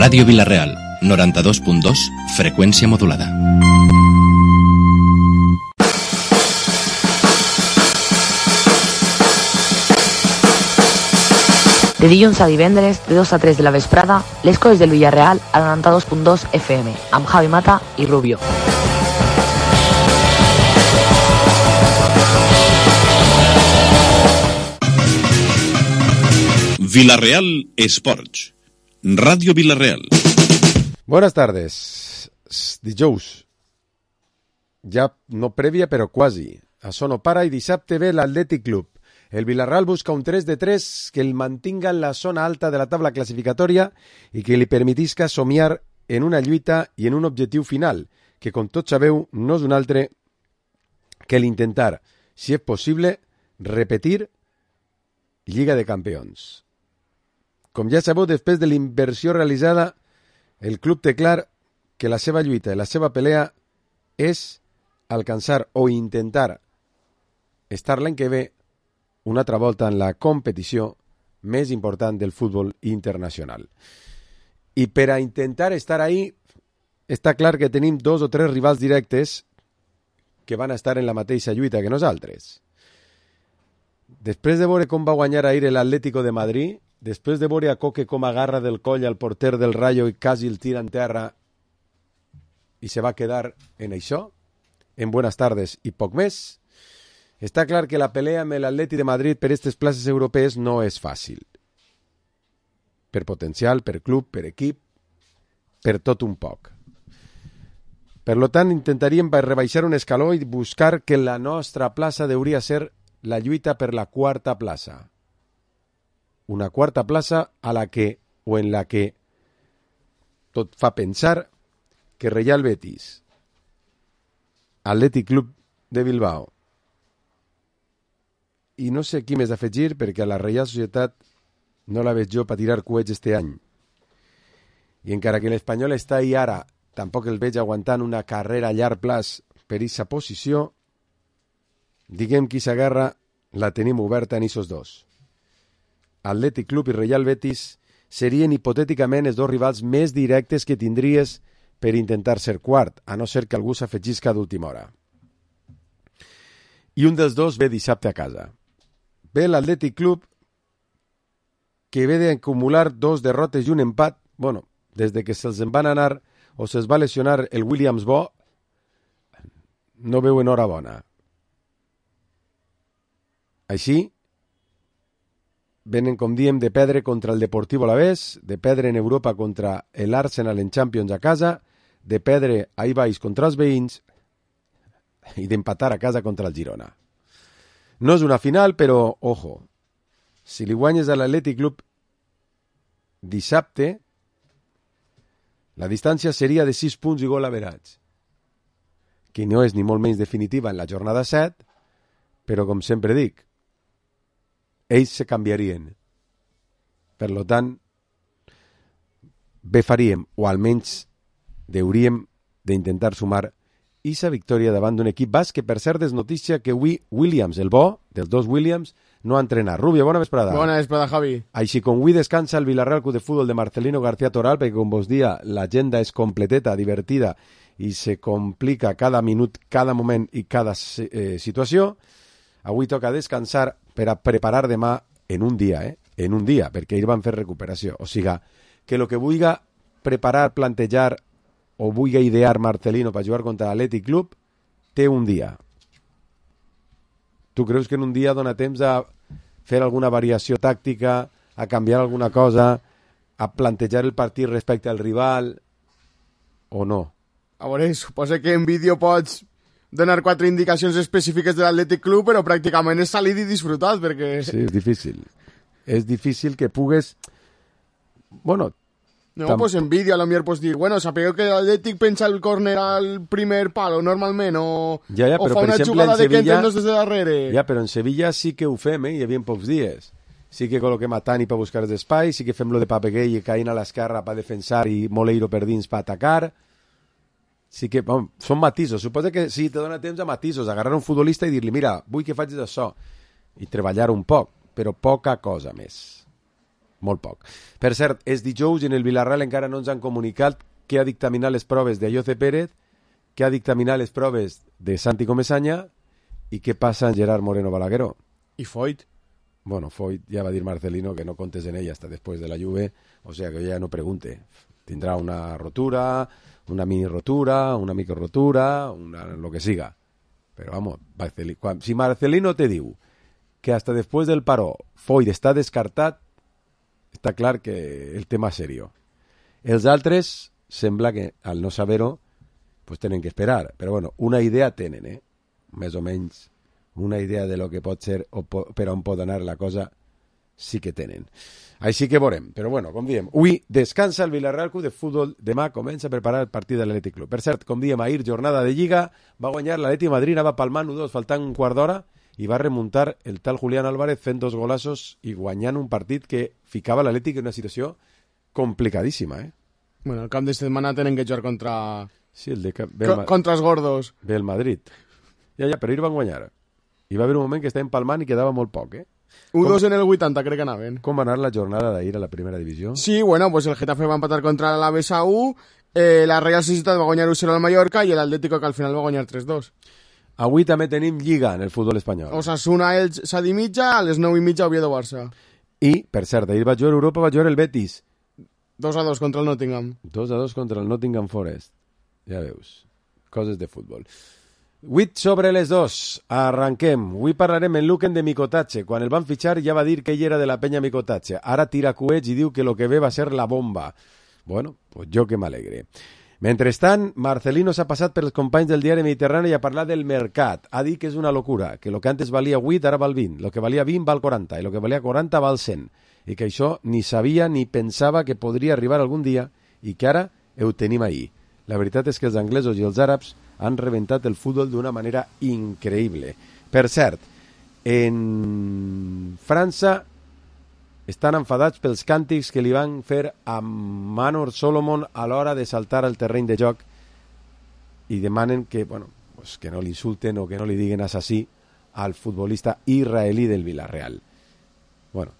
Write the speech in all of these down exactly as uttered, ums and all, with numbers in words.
Ràdio Vila-real, noranta-dos punt dos, freqüència modulada. De dilluns a divendres, de dos a tres de la vesprada, les coses del Villarreal a noranta-dos punt dos F M, amb Javi Mata i Rubio. Villarreal Esports. Radio Villarreal. Buenas tardes. Dijous. Ja no prèvia, però quasi. Això no para i dissabte ve l'Atlètic Club. El Villarreal busca un tres de tres que el mantinga en la zona alta de la tabla classificatòria i que li permetisca somiar en una lluita i en un objectiu final, que com tots sabeu no és un altre que l'intentar, si és possible, repetir Lliga de Campions. Com ja sabeu, després de la inversió realitzada, el club té clar que la seva lluita i la seva pelea és alcançar o intentar estar l'any que ve una altra volta en la competició més important del futbol internacional. I per a intentar estar ahí, està clar que tenim dos o tres rivals directes que van estar en la mateixa lluita que nosaltres. Després de veure com va guanyar ahir l'Atlético de Madrid, després de veure a Coque com agarra del coll al porter del Rayo i quasi el tira en terra i se va quedar en això, en buenas tardes i poc més, està clar que la pelea amb l'Atleti de Madrid per aquestes places europees no és fàcil. Per potencial, per club, per equip, per tot un poc. Per lo tant, intentaríem rebaixar un escaló i buscar que la nostra plaça hauria ser la lluita per la quarta plaça. Una quarta plaça a la que, o en la que, tot fa pensar que Real Betis, Atlètic Club de Bilbao, i no sé qui més afegir perquè a la Reial Societat no la veig jo per tirar coets este any. I encara que l'Espanyol està ahí ara, tampoc el veig aguantant una carrera a llarg plaç per aquesta posició, diguem qui s'agarra, la tenim oberta en aquests dos. Atlètic Club i Real Betis serien hipotèticament els dos rivals més directes que tindries per intentar ser quart, a no ser que algú s'afegisca d'última hora. I un dels dos ve dissabte a casa. Ve l'Atlètic Club, que ve d'acumular dos derrotes i un empat, bueno, des de que se'ls en van anar o se'ls va lesionar el Williams Bo, no veu en hora bona. Així, venen, com diem, de perdre contra el Deportivo Alavés, de perdre en Europa contra l'Arsenal en Champions a casa, de perdre ahí baix contra els veïns i d'empatar a casa contra el Girona. No és una final, però, ojo, si li guanyes a l'Atlètic Club dissabte, la distància seria de sis punts i gol average, que no és ni molt menys definitiva en la jornada set, però, com sempre dic, ells se canviarien. Per lo tant, bé faríem, o almenys hauríem d'intentar sumar aquesta victòria davant d'un equip basc que, per cert, és notícia que avui Williams, el bo, dels dos Williams, no ha entrenat. Rubio, bona vesprada. Bona vesprada, Javi. Així com avui descansa el Villarreal Club de Futbol de Marcelino García Toral, perquè, com vos dia, l'agenda és completeta, divertida, i se complica cada minut, cada moment i cada eh, situació. Avui toca descansar per a preparar demà en un dia, eh? En un dia, perquè ells van fer recuperació. O sigui, que el que vulgui preparar, plantejar o vulgui idear Marcelino per jugar contra l'Atlètic Club, té un dia. Tu creus que en un dia dona temps a fer alguna variació tàctica, a canviar alguna cosa, a plantejar el partit respecte al rival, o no? A veure, suposa que en vídeo pots donar quatre indicacions específiques de l'Atlètic Club, però pràcticament és salir i disfrutar, perquè... Sí, és difícil. És difícil que pugues... Bueno... No, tam... pues en vídeo a lo millor pots dir, bueno, sapigueu que l'Atlètic pensa el córner al primer palo, normalment, o, ja, ja, o fa per una exemple, jugada de Sevilla... que entren des de darrere. Ja, però en Sevilla sí que ho fem, eh? Hi havia pocs dies. Sí que col·loquem a Tani per buscar els espais, sí que fem lo de Papeguell i caïn a l'esquerra per defensar i Moleiro per dins per atacar... Sí que, bon, són matisos. Suposa que sí, te dona temps a matisos, agarrar un futbolista i dir-li, mira, vull que facis això, i treballar un poc, però poca cosa més. molt poc. Per cert, és dijous i en el Villarreal encara no ens han comunicat què ha dictaminat les proves de Ayoce Pérez, què ha dictaminat les proves de Santi Comesaña i què passa en Gerard Moreno Balagueró. I Foyt. Bueno, Foyt ja va dir Marcelino que no contes en ella hasta después de la Juve, o sea que ya no pregunte. Tindrà una rotura, una mini rotura, una micro rotura, una, lo que siga. Pero vamos, si Marcelino te diu que hasta después del paró Foyt està descartat, està clar que el tema és serio. Els altres sembla que al no saber-ho pues tenen que esperar, però bueno, una idea tenen, eh? Més o menys una idea de lo que pot ser o po per on pot anar la cosa sí que tenen. Així que veurem, però bueno, com diem, avui descansa el Villarreal Club de Futbol, demà comença a preparar el partit de l'Atlètic Club. Per cert, com diem, ahir jornada de Lliga, va guanyar l'Atlètic Madrid, anava palmant u dos, faltant un quart d'hora, i va remuntar el tal Julián Álvarez fent dos golassos i guanyant un partit que ficava l'Atlètic en una situació complicadíssima, eh? Bueno, el cap de setmana tenen que jugar contra... Sí, el de... Cap... Co contra els gordos. Ve el Madrid. Ja, ja, però ahir van guanyar. Hi va haver un moment que estava empalmant i quedava molt poc, eh? u dos en el vuitanta, crec que anaven. Com va anar la jornada d'ahir a la primera divisió? Sí, bueno, pues el Getafe va empatar contra l'Alavés a u, eh, la Real Societat va guanyar u zero al Mallorca i l'Atlético que al final va guanyar tres dos. Avui també tenim Lliga en el futbol espanyol. Osasuna, Elx, set i mitja, a les nou i mitja Oviedo Barça. I, per cert, ahir va jugar Europa, va jugar el Betis. dos a dos contra el Nottingham. dos a dos contra el Nottingham Forest. Ja veus, coses de futbol. vuit sobre les dos. Arranquem. Avui parlarem en Luquen de Micotatxe. Quan el van fitxar ja va dir que ell era de la penya Micotatxe. Ara tira coets i diu que lo que ve va ser la bomba. Bueno, pues jo que m'alegre. Mentrestant, Marcelino s'ha passat pels companys del diari Mediterrani i ha parlat del mercat. Ha dit que és una locura, que lo que antes valia vuit ara val vint, lo que valia vint val quaranta i lo que valia quaranta val cent. I que això ni sabia ni pensava que podria arribar algun dia i que ara ho tenim ahir. La veritat és que els anglesos i els àrabs han reventat el futbol d'una manera increïble. Per cert, en França estan enfadats pels càntics que li van fer a Manor Solomon a l'hora de saltar al terreny de joc i demanen que, bueno, pues que no l'insulten o que no li diguen assassí al futbolista israelí del Villarreal. Bueno,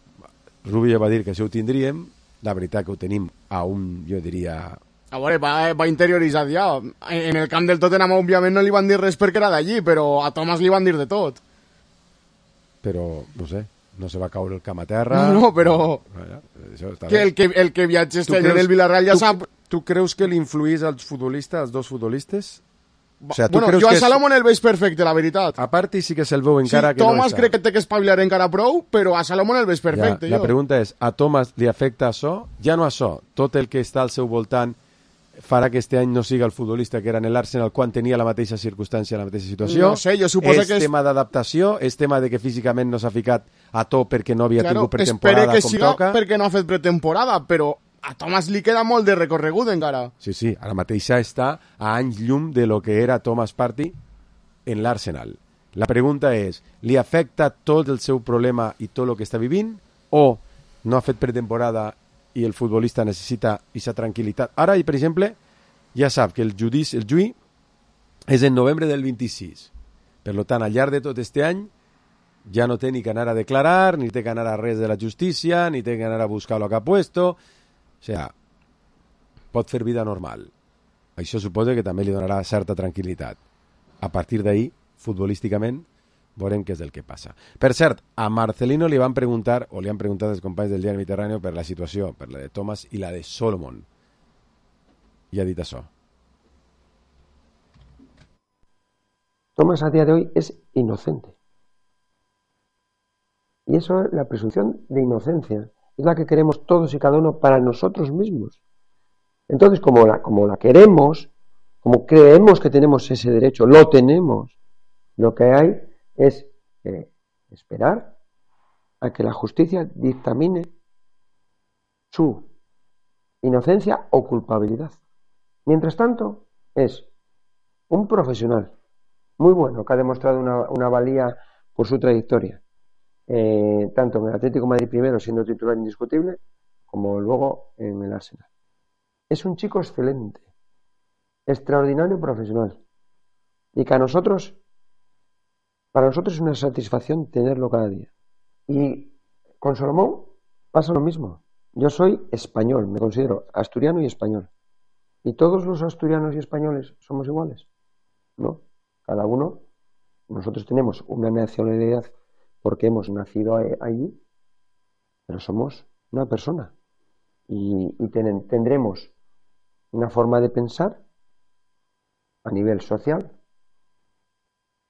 Rubio va dir que això ho tindríem, la veritat que ho tenim a un, jo diria... A veure, va, va interioritzat ja. En el camp del Tottenham, òbviament, no li van dir res perquè era d'allí, però a Thomas li van dir de tot. Però, no sé, no se va caure el camp a terra... No, no, però... Això està que bé. el que, el que viatge este en el Villarreal ja tu, sap... Tu creus que li influís als futbolistes, als dos futbolistes? O sea, tu bueno, creus jo a que és... Salomon el veig perfecte, la veritat. A part sí que se'l veu encara sí, que Thomas no està. crec que té que espavilar encara prou, però a Salomon el veig perfecte. Ja, la jo. pregunta és, a Thomas li afecta això? Ja no això, tot el que està al seu voltant farà que este any no siga el futbolista que era en l'Arsenal quan tenia la mateixa circumstància, la mateixa situació. No sé, jo suposo és que és... tema d'adaptació, és tema de que físicament no s'ha ficat a to perquè no havia claro, tingut pretemporada que com siga toca. perquè no ha fet pretemporada, però a Thomas li queda molt de recorregut encara. Sí, sí, ara mateixa està a anys llum de lo que era Thomas Partey en l'Arsenal. La pregunta és, li afecta tot el seu problema i tot el que està vivint o no ha fet pretemporada i el futbolista necessita aquesta tranquil·litat? Ara, per exemple, ja sap que el judici, el juí és en novembre del vint-i-sis. Per tant, al llarg de tot este any ja no té ni que anar a declarar, ni té que anar a res de la justícia, ni té que anar a buscar lo que ha puesto. O sea, pot fer vida normal. Això suposa que també li donarà certa tranquil·litat. A partir d'ahir, futbolísticament, veurem què és el que passa. Per cert, a Marcelino li van preguntar, o li han preguntat els companys del diari Mediterrani per la situació, per la de Thomas i la de Solomon. Y ha dicho eso. Thomas a día de hoy es inocente. Y eso es la presunción de inocencia. Es la que queremos todos y cada uno para nosotros mismos. Entonces, como la, como la queremos, como creemos que tenemos ese derecho, lo tenemos, lo que hay es eh, esperar a que la justicia dictamine su inocencia o culpabilidad. Mientras tanto, es un profesional muy bueno que ha demostrado una, una valía por su trayectoria, eh, tanto en el Atlético de Madrid primero siendo titular indiscutible, como luego en el Arsenal. Es un chico excelente, extraordinario profesional, y que a nosotros, para nosotros es una satisfacción tenerlo cada día. Y con Solomon pasa lo mismo. Yo soy español, me considero asturiano y español. ¿Y todos los asturianos y españoles somos iguales? No. Cada uno, nosotros tenemos una nacionalidad porque hemos nacido allí, pero somos una persona. Y, y ten, tendremos una forma de pensar a nivel social,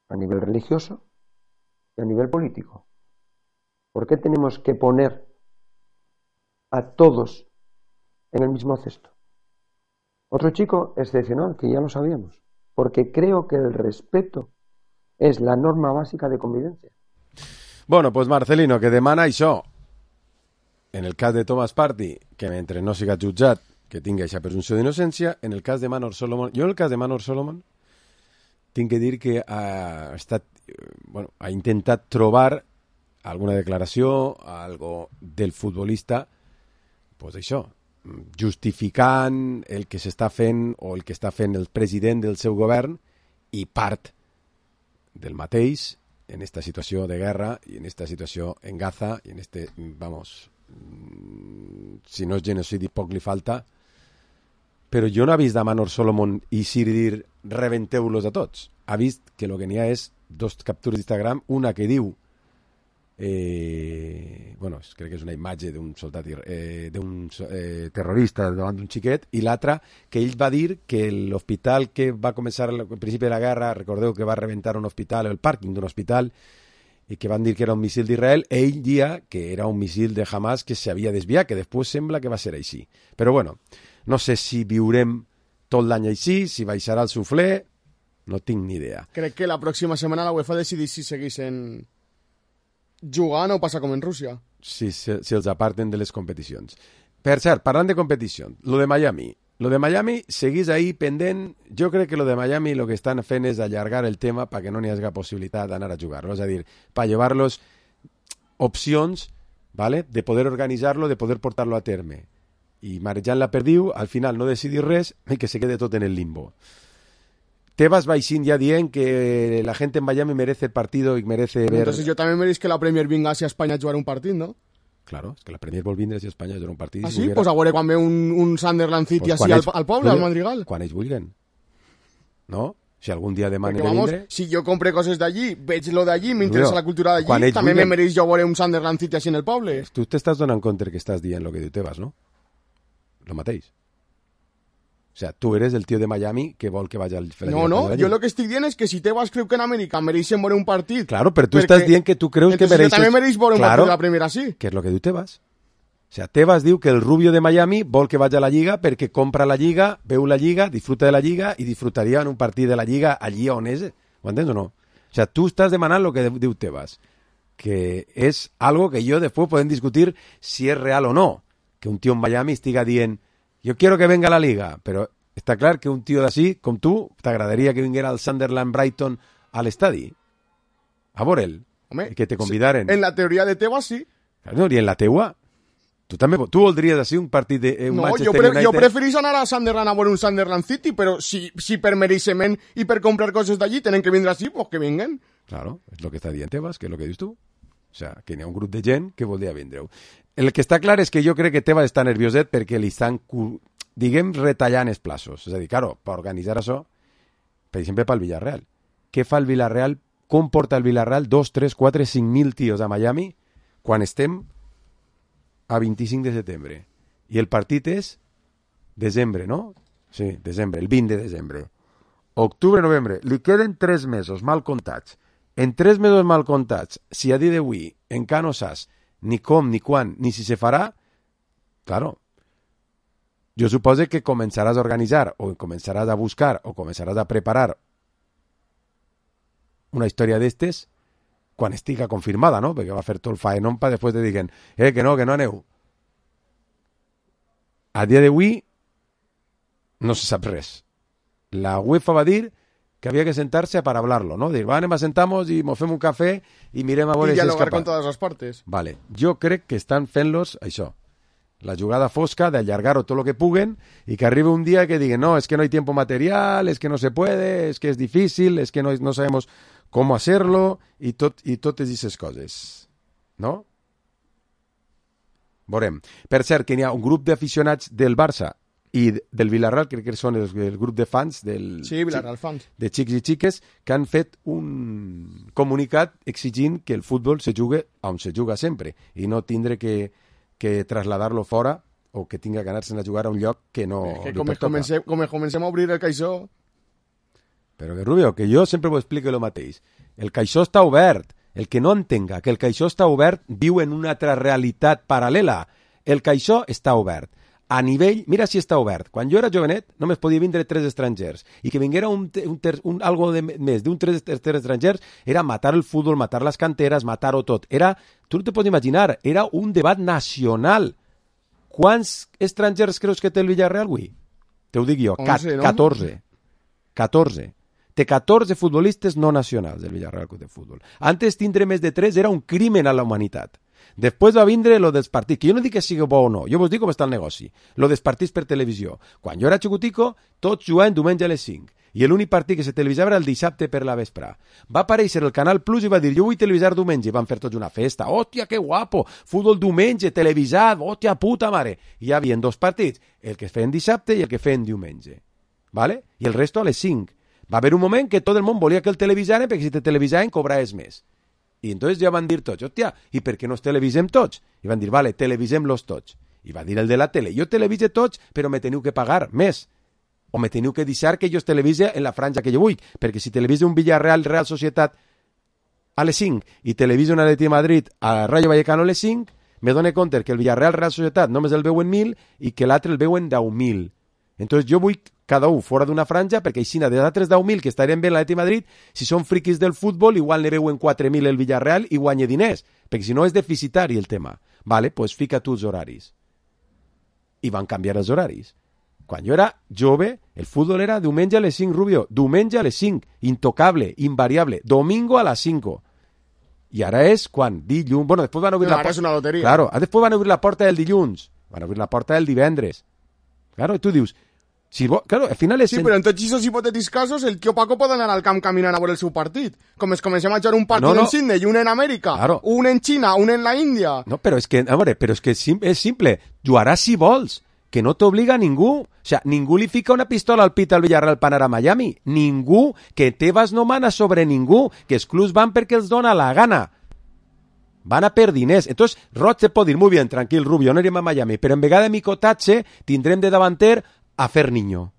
a nivel religioso y a nivel político. ¿Por qué tenemos que poner a todos en el mismo cesto? Otro chico excepcional, que ya lo sabíamos, porque creo que el respeto es la norma básica de convivencia. Bueno, pues Marcelino, que demana això. En el cas de Thomas Partey, que mentre no siga jutjat, que tingui aquesta presumpció d'innocència. En el cas de Manor Solomon, jo en el cas de Manor Solomon tinc que dir que ha estat, bueno, ha intentat trobar alguna declaració, algo del futbolista, pues això, justificant el que s'està fent o el que està fent el president del seu govern i part del mateix en esta situació de guerra i en esta situació en Gaza i en este, vamos, si no és genocidi poc li falta, però jo no he vist a Manor Solomon i Siri dir rebenteu-los a tots. Ha vist que el que n'hi ha és dos captures d'Instagram, una que diu Eh, bueno, crec que és una imatge d'un soldat eh, d'un eh, terrorista davant d'un xiquet, i l'altra que ell va dir que l'hospital que va començar al principi de la guerra, recordeu que va rebentar un hospital, el pàrquing d'un hospital, i que van dir que era un missil d'Israel, ell dia que era un missil de Hamas que s'havia desviat, que després sembla que va ser així. Però bueno, no sé si viurem tot l'any així, si baixarà el suflé, no tinc ni idea. Crec que la pròxima setmana la UEFA decidís si segueixen jugant o passa com en Rússia. Si, si, si els aparten de les competicions. Per cert, parlant de competició, lo de Miami. Lo de Miami seguís ahí pendent. Jo crec que lo de Miami lo que estan fent és allargar el tema perquè no n'hi hagi possibilitat d'anar a jugar-lo. És a dir, per llevar-los opcions, ¿vale?, de poder organitzar-lo, de poder portar-lo a terme. I marejant la perdiu, al final no decidir res i que se quede tot en el limbo. Tebas Baixín ya dient que la gente en Miami merece el partido y merece ver... Entonces yo también me diréis que la Premier vinga hacia España a jugar un partit, ¿no? Claro, es que la Premier vol vindre hacia Espanya a jugar un partit. Ah, si sí? volguera... Pues a veure quan ve un, un Sunderland City pues així al, al poble, al Madrigal. Quan ells vulguen. No? Si algun dia demanen de vindre... Si jo compre coses d'allí, veig lo d'allí, m'interessa la cultura d'allí, també me mereix jo veure un Sunderland City així en el poble. Tu t'estàs donant compte que estàs dient lo que diu Tebas, no? Lo mateix. O sea, tú eres el tío de Miami que vol que vaya al... No, no, yo lo que estic dient és que si Tebas creu que en Amèrica mereixen veure un partit... Claro, però tu perquè... estàs dient que tu creus que mereixes... Entonces jo també mereix veure un claro, partit de la Premier així. Que és lo que diu Tebas. O sea, Tebas diu que el rubio de Miami vol que vaya a la Lliga perquè compra la Lliga, veu la Lliga, disfruta de la Lliga i disfrutaria en un partit de la Lliga allí on és. Ho entens o no? O sea, tu estàs demanant lo que diu Tebas, que és algo que jo després podem discutir si és real o no. Que un tio en Miami estiga dient jo quiero que venga a la Liga, però està clar que un tio d'ací, com tu, t'agradaria que vinguera al Sunderland Brighton a l'estadi. A veure'l. Home, que te convidaren. En la teoria de Tebas, sí. No, i en la teua. Tu també, tu voldries així un partit de un no, Manchester jo pre United? Jo preferís anar a Sunderland a veure un Sunderland City, però si, si per mereixement i per comprar coses d'allí tenen que vindre així, pues que vinguen. Claro, és el que està dient Tebas, que és el que dius tu. O sea, que hi ha un grup de gent que voldria vindre-ho. El que està clar és que jo crec que Tebas està nervioset perquè li estan... diguem, retallant els plaços. És a dir, claro, per organitzar això, per exemple, pel Villarreal. Què fa el Villarreal? Com porta el Villarreal dos, tres, quatre, cinc mil tios a Miami quan estem a vint-i-cinc de setembre? I el partit és desembre, no? Sí, desembre, el vint de desembre. Octubre, novembre. Li queden tres mesos mal comptats. En tres mesos mal comptats, si a dia d'avui encara no saps ni com, ni quan, ni si se farà, claro, jo suposo que començaràs a organitzar o començaràs a buscar o començaràs a preparar una història d'estes quan estiga confirmada, no? Perquè va fer tot el faenón per després de diguen eh, que no, que no aneu. A dia d'avui no se sap res. La UEFA va dir que havia que sentar-se per hablar-lo, no? Dir, va, anem a sentar-nos i mos fem un cafè i mirem a veure si és dialogar capaç. con todas las partes. Vale. Jo crec que estan fent-los això. La jugada fosca de allargar-ho tot el que puguen i que arribi un dia que diguen no, es que no hay tiempo material, es que no se puede, es que es difícil, es que no, no sabemos cómo hacerlo i tot, i totes aquestes coses. No? Veurem. Per cert, que hi ha un grup d'aficionats del Barça i del Villarreal, crec que són el, el grup de fans del... Sí, Villarreal fans. De xics i xiques, que han fet un comunicat exigint que el futbol se jugue on se juga sempre i no tindre que, que trasladar-lo fora o que tinga que anar-se'n a jugar a un lloc que no eh, que li com, pertoca. comencem, com comencem a obrir el caixó... Però que, Rubio, que jo sempre ho explico el mateix. El caixó està obert. El que no entenga que el caixó està obert viu en una altra realitat paral·lela. El caixó està obert. A nivell, mira si està obert. Quan jo era jovenet, només podia vindre tres estrangers. I que vinguera un, un, ter, un algo de més d'un tres, tres estrangers era matar el futbol, matar les canteres, matar-ho tot. Era, tu no te pots imaginar, era un debat nacional. Quants estrangers creus que té el Villarreal avui? Te ho dic jo, onze, no? catorze. catorze. Té catorze futbolistes no nacionals del Villarreal Club de Futbol. Antes tindre més de tres era un crimen a la humanitat. Després va vindre lo dels partits, que jo no dic que sigui bo o no, jo vos dic com està el negoci, lo dels partits per televisió. Quan jo era xicutico, tots jugaven diumenge a les cinc, i l'únic partit que se televisava era el dissabte per la vespre. Va aparèixer el Canal Plus i va dir, jo vull televisar diumenge, i van fer tots una festa, hòstia, que guapo, futbol diumenge, televisat, hòstia, puta mare. I hi havia dos partits, el que feien dissabte i el que feien diumenge, ¿vale? I el resto a les cinc. Va haver un moment que tot el món volia que el televisaren, perquè si te televisaven cobraves més. I entonces ja van dir tots, hòstia, i per què no els televisem tots? I van dir, vale, televisem-los tots. I va dir el de la tele, jo televise tots, però me teniu que pagar més. O me teniu que deixar que jo televise en la franja que jo vull, perquè si televise un Villarreal Real Societat a les cinc i televise un Atleti de Madrid a Rayo Vallecano a les cinc, me dono compte que el Villarreal Real Societat només el veuen mil i que l'altre el veuen deu mil. Entonces jo vull cada un fora d'una franja, perquè així de altres deu mil que estarien bé en l'Atleti de Madrid, si són friquis del futbol, igual ne veuen quatre mil el Villarreal i guanya diners, perquè si no és deficitari el tema. Vale, pues fica tu els horaris. I van canviar els horaris. Quan jo era jove, el futbol era diumenge a les cinc, Rubio, diumenge a les cinc, intocable, invariable, domingo a les cinc. I ara és quan? Dilluns. Bueno, després van obrir no, la porta... és una loteria. Claro, després van obrir la porta del dilluns, van obrir la porta del divendres. Claro, i tu dius, si bo... claro, al final és... Sí, però en tots aquests hipotètics casos, el tio Paco pot anar al camp caminant a veure el seu partit. Com es comencem a jugar un partit no, no. en Sydney, un en Amèrica, claro. un en Xina, un en la Índia... No, però és que, a veure, però és que és simple. Jugaràs si vols, que no t'obliga a ningú. O sea, ningú li fica una pistola al pit al Villarreal per anar a Miami. Ningú, que Tebas no mana sobre ningú, que els clubs van perquè els dona la gana. Van a per diners. Entonces, Roig te pot dir, muy bien, tranquil, Rubio, no irem a Miami, però en vegada de micotatge tindrem de davanter a Ferniño.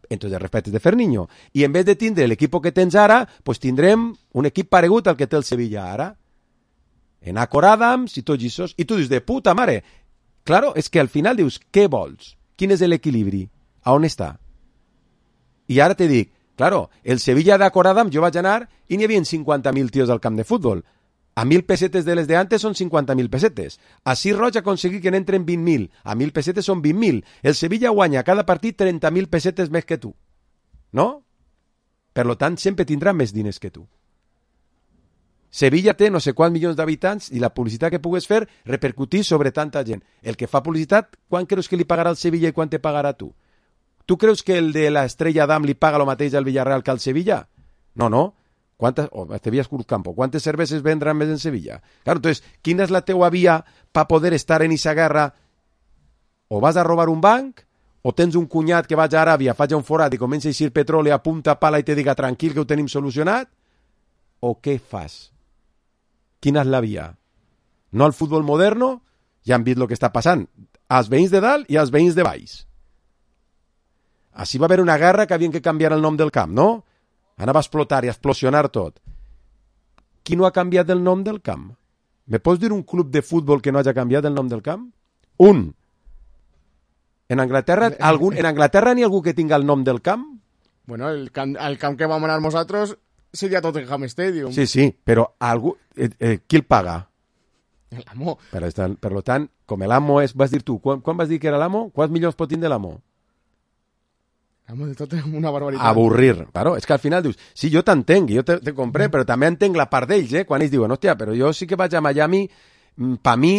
Entonces, respetes de Ferniño. I en vez de tindre l'equip que tens ara, pues tindrem un equip paregut al que té el Sevilla ara. En Acor Adams i tots aquests. I tu dius, de puta mare. Claro, és que al final dius, què vols? Quin és l'equilibri? A on està? I ara te dic, claro, el Sevilla d'Acor Adams jo vaig anar i n'hi havia cinquanta mil tios al camp de futbol. A mil pesetes de les de antes són cinquanta mil pesetes. Així Roig ha aconseguit que n'entren vint mil. A mil pesetes són vint mil. El Sevilla guanya cada partit trenta mil pesetes més que tu. No? Per lo tant, sempre tindrà més diners que tu. Sevilla té no sé quants milions d'habitants i la publicitat que pugues fer repercutir sobre tanta gent. El que fa publicitat, quan creus que li pagarà al Sevilla i quan te pagarà tu? Tu creus que el de l'Estrella d'Am li paga el mateix al Villarreal que al Sevilla? No, no. ¿Cuántas, oh, Sevilla es Cruzcampo, ¿cuántas cervezas vendrán en Sevilla? Claro, entonces, ¿quién es la teua vía para poder estar en esa guerra? O vas a robar un banc, o tens un cunyat que vaig a Aràbia, faig un forat i comença a eixir petroli a punta pala i te diga tranquil que ho tenim solucionat? O què fas? Quina és la via? No al futbol moderno, ja han vist el que està passant, als veïns de dalt i als veïns de baix. Així va haver una guerra que havien que canviar el nom del camp, no? Anava a explotar i a explosionar tot. Qui no ha canviat el nom del camp? Me pots dir un club de futbol que no hagi canviat el nom del camp? Un. En Anglaterra, algun, en Anglaterra n'hi ha algú que tinga el nom del camp? Bueno, el camp, el camp que vam anar nosaltres seria Tottenham Stadium. Sí, sí, però algú, eh, eh, qui el paga? L'amo. Per, per tant, com l'amo és, vas dir tu, quan, quan vas dir que era l'amo? Quants milions pot tindre l'amo? L'amo de tot una barbaritat. Avorrir. Claro, és que al final dius, sí, jo t'entenc, jo te, te compré, però també entenc la part d'ells, eh? Quan ells diuen, hòstia, però jo sí que vaig a Miami, per mi,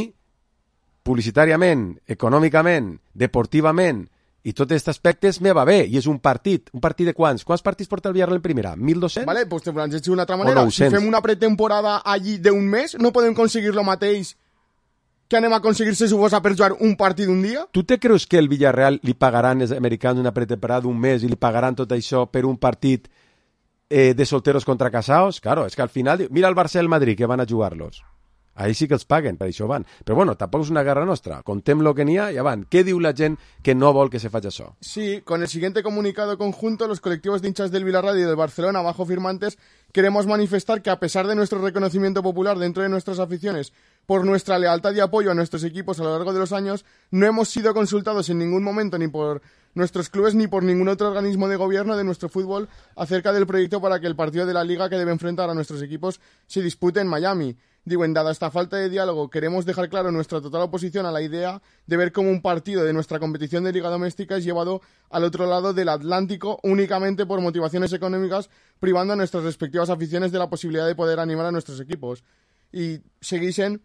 publicitàriament, econòmicament, deportivament, i tots aquests aspectes me va bé, i és un partit. Un partit de quants? Quants partits porta el Villarreal en primera? mil dos-cents? Vale, pues te planteig d'una altra manera. Si fem una pretemporada allí d'un mes, no podem aconseguir lo mateix que anem a aconseguir se suposa per jugar un partit un dia? Tu te creus que el Villarreal li pagaran els americans una pretemporada d'un mes i li pagaran tot això per un partit eh, de solteros contra casados? Claro, és que al final... Mira el Barça i el Madrid, que van a jugar-los. Ahí sí que els paguen, per això van. Però bueno, tampoc és una guerra nostra. Contem lo que n'hi ha i ja van. Què diu la gent que no vol que se faci això? Sí, con el siguiente comunicado conjunto, los colectivos de hinchas del Villarreal y del Barcelona, bajo firmantes, queremos manifestar que a pesar de nuestro reconocimiento popular dentro de nuestras aficiones por nuestra lealtad y apoyo a nuestros equipos a lo largo de los años, no hemos sido consultados en ningún momento ni por nuestros clubes ni por ningún otro organismo de gobierno de nuestro fútbol acerca del proyecto para que el partido de la Liga que debe enfrentar a nuestros equipos se dispute en Miami. Digo, en dada esta falta de diálogo, queremos dejar claro nuestra total oposición a la idea de ver cómo un partido de nuestra competición de Liga Doméstica es llevado al otro lado del Atlántico únicamente por motivaciones económicas, privando a nuestras respectivas aficiones de la posibilidad de poder animar a nuestros equipos. Y seguís en...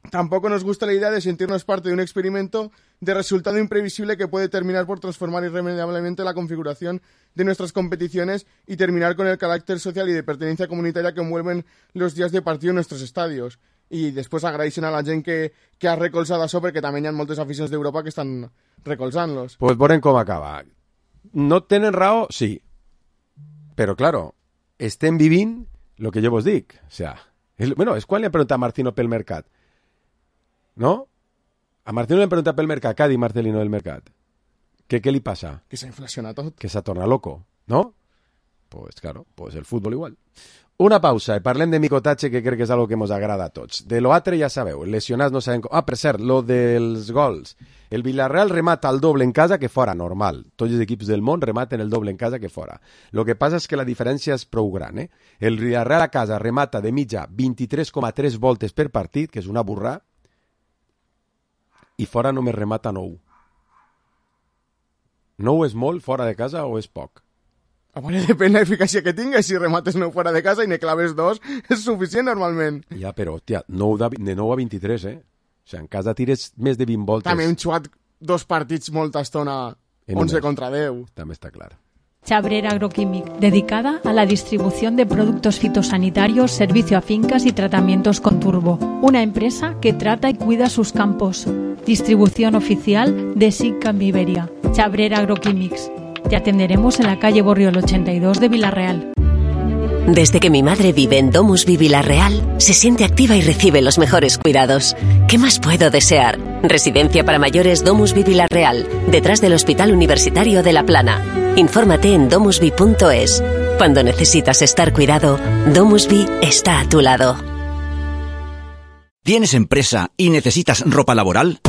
Tampoco nos gusta la idea de sentirnos parte de un experimento de resultado imprevisible que puede terminar por transformar irremediablemente la configuración de nuestras competiciones y terminar con el carácter social y de pertenencia comunitaria que envuelven los días de partido en nuestros estadios. I després agraeixen a la gent que, que ha recolzat això perquè també hi ha moltes aficions d'Europa que estan recolzant-los. Pues veurem com acaba. No tenen raó? Sí. Però, claro, estem vivint el que jo vos dic. O sea, és, bueno, és quan li han preguntat a Martino pel mercat. ¿No? A Martino le han preguntat pel mercat. Què ha dit Marcelino del mercat? ¿Qué, ¿Qué li passa? Que s'ha inflacionat tot. Que s'ha tornat loco, ¿no? Pues claro, pues el fútbol igual. Una pausa i parlem de micotatge, que crec que és algo que ens agrada a tots. De lo altre ja sabeu, lesionats no sabem com... Ah, per cert, lo dels gols. El Villarreal remata el doble en casa que fora, normal. Tots els equips del món rematen el doble en casa que fora. Lo que passa és que la diferència és prou gran, eh? El Villarreal a casa remata de mitja vint-i-tres coma tres voltes per partit, que és una burrà, i fora només remata nou. Nou és molt fora de casa o és poc? A veure, depèn la eficàcia que tingues. Si remates nou fora de casa i ne claves dos, és suficient normalment. Ja, però, hòstia, nou de, de nou a vint-i-tres, eh? O sigui, en casa tires més de vint voltes. També hem xuat dos partits molta estona, onze contra deu. També està clar. Chabrera Agroquímic, dedicada a la distribución de productos fitosanitarios, servicio a fincas y tratamientos con turbo. Una empresa que trata y cuida sus campos. Distribución oficial de Sicam Iberia. Chabrera Agroquímics. Te atenderemos en la calle Borriol ochenta y dos de Villarreal. Desde que mi madre vive en Domusvi Villarreal, se siente activa y recibe los mejores cuidados. ¿Qué más puedo desear? Residencia para mayores Domusvi Villarreal, detrás del Hospital Universitario de La Plana. Infórmate en domusvi punto es. Cuando necesitas estar cuidado, Domusvi está a tu lado. ¿Tienes empresa y necesitas ropa laboral?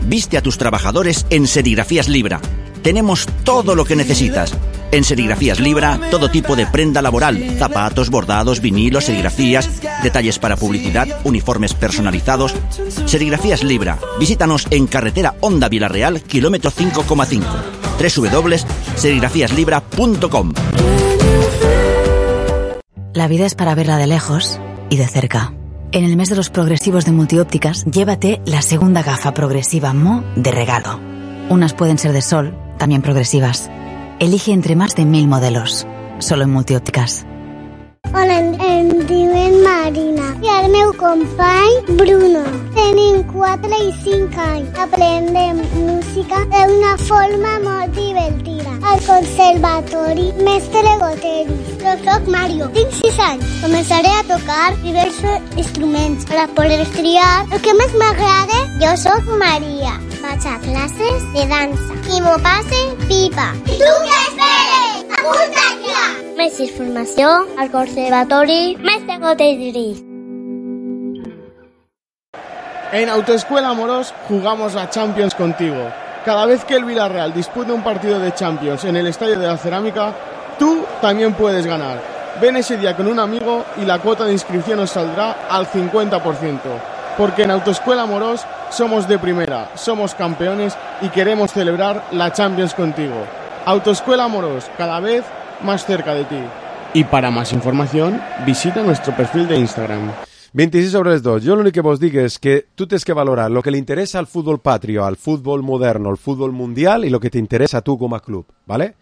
Viste a tus trabajadores en Serigrafías Libra. Tenemos todo lo que necesitas. En Serigrafías Libra, todo tipo de prenda laboral, zapatos, bordados, vinilos, serigrafías, detalles para publicidad, uniformes personalizados. Serigrafías Libra. Visítanos en carretera Honda Villarreal, kilómetro cinco coma cinco. doble u doble u doble u punto serigrafías libra punto com. La vida es para verla de lejos y de cerca. En el mes de los progresivos de Multiópticas, llévate la segunda gafa progresiva M O de regalo. Unas pueden ser de sol, también progresivas. Elige entre más de mil modelos. Solo en Multiópticas. Hola, em diuen Marina. I el meu company, Bruno. Tenim quatre i cinc anys. Aprendem música d'una forma molt divertida. Al conservatori Mestre Goteris. Jo soc Mario. Tinc sis anys. Començaré a tocar diversos instruments per a poder triar el que més m'agrada. Jo soc Maria. Vaig a classes de dansa. I m'ho passe pipa. I tu què esperes? Apunta't ja! Més informació al Conservatori Mestre Goteris. En Autoescuela Amorós jugamos a Champions contigo. Cada vez que el Villarreal dispute un partido de Champions en el Estadio de la Cerámica, tú también puedes ganar. Ven ese día con un amigo y la cuota de inscripción os saldrá al cincuenta por ciento. Porque en Autoescuela Amorós somos de primera, somos campeones y queremos celebrar la Champions contigo. Autoescuela Amorós, cada vez más cerca de ti. Y para más información, visita nuestro perfil de Instagram. vint-i-sis sobre les dos. Jo l'únic que vos dic és que tu tens que valorar el que li interessa al futbol patrio, al futbol moderno, al futbol mundial i el que t'interessa a tu com a club, ¿vale?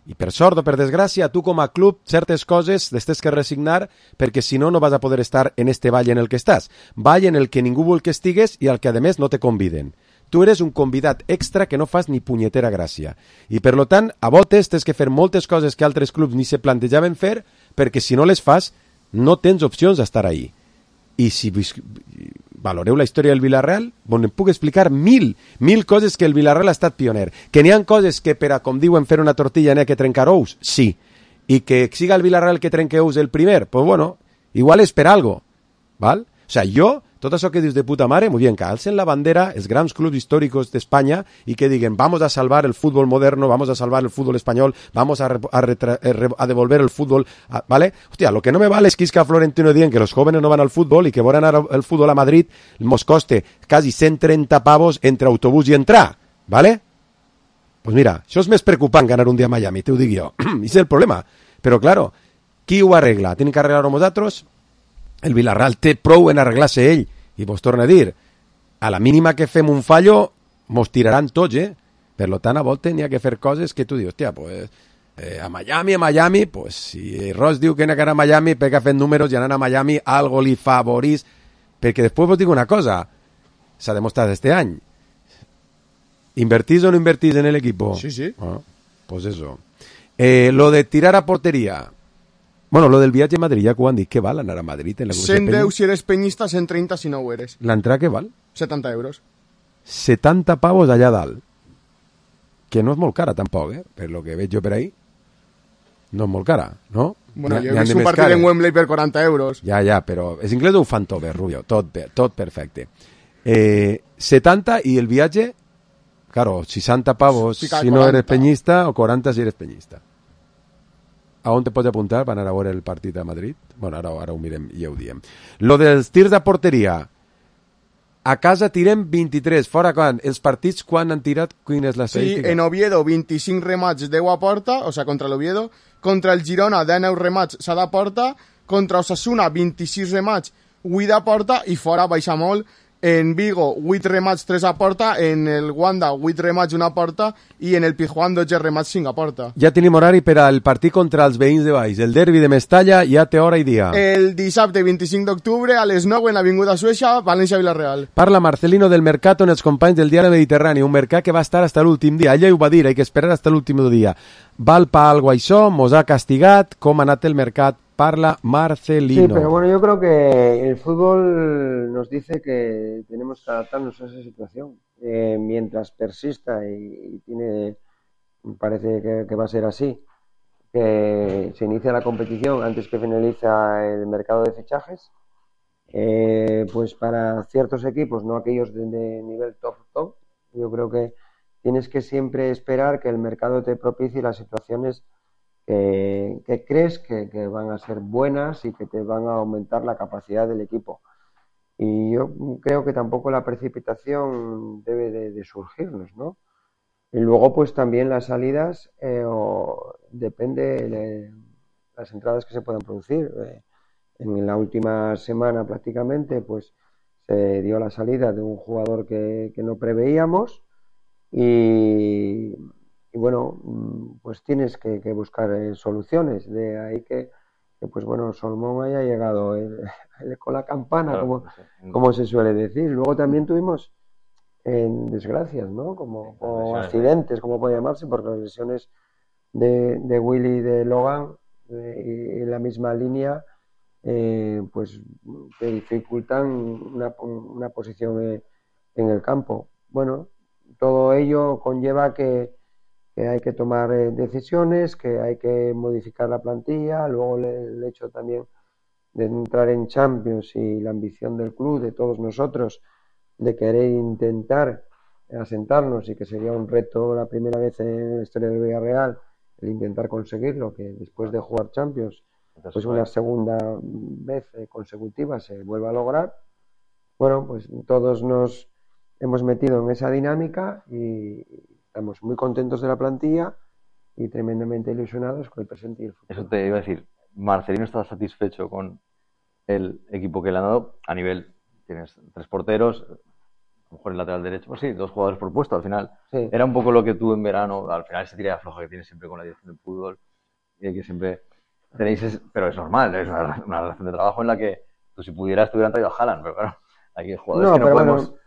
I per sort o per desgràcia, tu com a club, certes coses les tens que resignar perquè si no, no vas a poder estar en este ball en el que estàs. Ball en el que ningú vol que estigues i al que, a més, no te conviden. Tu eres un convidat extra que no fas ni punyetera gràcia. I, per lo tant, a voltes tens que fer moltes coses que altres clubs ni se plantejaven fer perquè si no les fas, no tens opcions d'estar ahí. I si valoreu la història del Villarreal, on em puc explicar mil, mil coses que el Villarreal ha estat pioner. Que n'hi ha coses que, per a, com diuen, fer una tortilla n'hi ha que trencar ous? Sí. I que siga el Villarreal que trenque ous el primer? Pues bueno, igual és per algo. ¿Val? O sea, jo, tot això que dius de puta mare, muy bien, que alcen la bandera els grans clubs històricos d'Espanya i que diguen, vamos a salvar el fútbol moderno, vamos a salvar el fútbol español, vamos a, a, retra, a devolver el fútbol, a, ¿vale? Hostia, lo que no me vale es que Isca Florentino digan que los jóvenes no van al fútbol y que van a el fútbol a Madrid, nos coste casi ciento treinta pavos entre autobús y entrar, ¿vale? Pues mira, això és més preocupant ganar un dia a Miami, te ho dic jo. I és el problema. Però, claro, qui ho arregla? Tenen que arreglar-ho nosaltres? El Villarreal té prou en arreglar-se ell. I vos torno a dir, a la mínima que fem un fallo, mos tiraran tots, eh? Per tant, a voltes n'hi ha que fer coses que tu dius, hòstia, pues, eh, a Miami, a Miami, pues, si Ross diu que n'hi ha que anar a Miami, pega fent números i anar a Miami, algo li favorís. Perquè després vos dic una cosa, s'ha demostrat este any. ¿Invertís o no invertís en el equipo? Sí, sí. Ah, pues eso. Eh, lo de tirar a portería. Bueno, lo del viatge a Madrid, ja que ho han dit, què val anar a Madrid? En la cent deu si eres peñista, cent treinta si no ho eres. L'entrada què val? setanta euros. setanta pavos allà dalt. Que no és molt cara, tampoc, eh? Per lo que veig jo per ahí. No és molt cara, no? Bueno, jo he vist un partit en Wembley per quaranta euros. Ja, ja, però els inglesos ho fan tot bé, Rubio, tot bé, tot perfecte. Eh, setanta i el viatge, claro, seixanta pavos si no eres peñista o quaranta si eres peñista. A on te pots apuntar per anar a veure el partit a Madrid? Bueno, ara, ara ho mirem i ja ho diem. Lo dels tirs de porteria. A casa tirem vint-i-tres. Fora quan? Els partits quan han tirat? Quin és la estadística? Sí, en Oviedo vint-i-cinc remats, deu a porta, o sea, contra l'Oviedo. Contra el Girona, dinou remats, s'ha de porta. Contra Osasuna, vint-i-sis remats, vuit a porta. I fora baixa molt. En Vigo, vuit remats, tres a porta. En el Wanda, vuit remats, una a porta. I en el Pijuan, dotze remats, cinc a porta. Ja tenim horari per al partit contra els veïns de Baix. El derbi de Mestalla ja té hora i dia. El dissabte vint-i-cinc d'octubre a les nou en l'Avinguda Suècia, València-Villarreal. Parla Marcelino del Mercat en els companys del Diari Mediterrani, un mercat que va estar hasta l'últim dia. Ella ho va dir, hay que esperar hasta l'últim dia. Val pa algo això, mos ha castigat, com ha anat el mercat? Parla Marcelino. Sí, pero bueno, yo creo que el fútbol nos dice que tenemos que adaptarnos a esa situación. Eh, mientras persista y, y tiene, parece que, que va a ser así, que se inicia la competición antes que finaliza el mercado de fichajes, eh, pues para ciertos equipos, no aquellos de, de nivel top top, yo creo que tienes que siempre esperar que el mercado te propicie las situaciones Que, que crees que, que van a ser buenas y que te van a aumentar la capacidad del equipo. Y yo creo que tampoco la precipitación debe de, de surgirnos, ¿no? Y luego pues también las salidas, eh, o depende de las entradas que se puedan producir. Eh, en la última semana prácticamente pues se dio la salida de un jugador que, que no preveíamos y... Y bueno, pues tienes que, que buscar eh, soluciones. De ahí que, que, pues bueno, Solomón haya llegado el, el, con la campana, claro, como, sí, como se suele decir. Luego también tuvimos en desgracias, ¿no? Como, como accidentes, como puede llamarse, porque las lesiones de, de Willy y de Logan eh, y en la misma línea, eh, pues te dificultan una, una posición eh, en el campo. Bueno, todo ello conlleva que que hay que tomar eh, decisiones, que hay que modificar la plantilla, luego le, el hecho también de entrar en Champions y la ambición del club, de todos nosotros, de querer intentar asentarnos y que sería un reto la primera vez en la historia del Villarreal, el intentar conseguirlo, que después de jugar Champions, pues una segunda vez eh, consecutiva se vuelva a lograr. Bueno, pues todos nos hemos metido en esa dinámica y estamos muy contentos de la plantilla y tremendamente ilusionados con el presente y el futuro. Eso te iba a decir, Marcelino está satisfecho con el equipo que le han dado a nivel, tienes tres porteros, a lo mejor el lateral derecho, pues sí, dos jugadores por puesto al final. Sí. Era un poco lo que tú en verano, al final esa tirada floja que tienes siempre con la dirección del fútbol, y que siempre tenéis, es, pero es normal, es una, una relación de trabajo en la que tú si pudieras te hubieran traído a Haaland, pero claro, hay jugadores no, que no pero podemos... Bueno,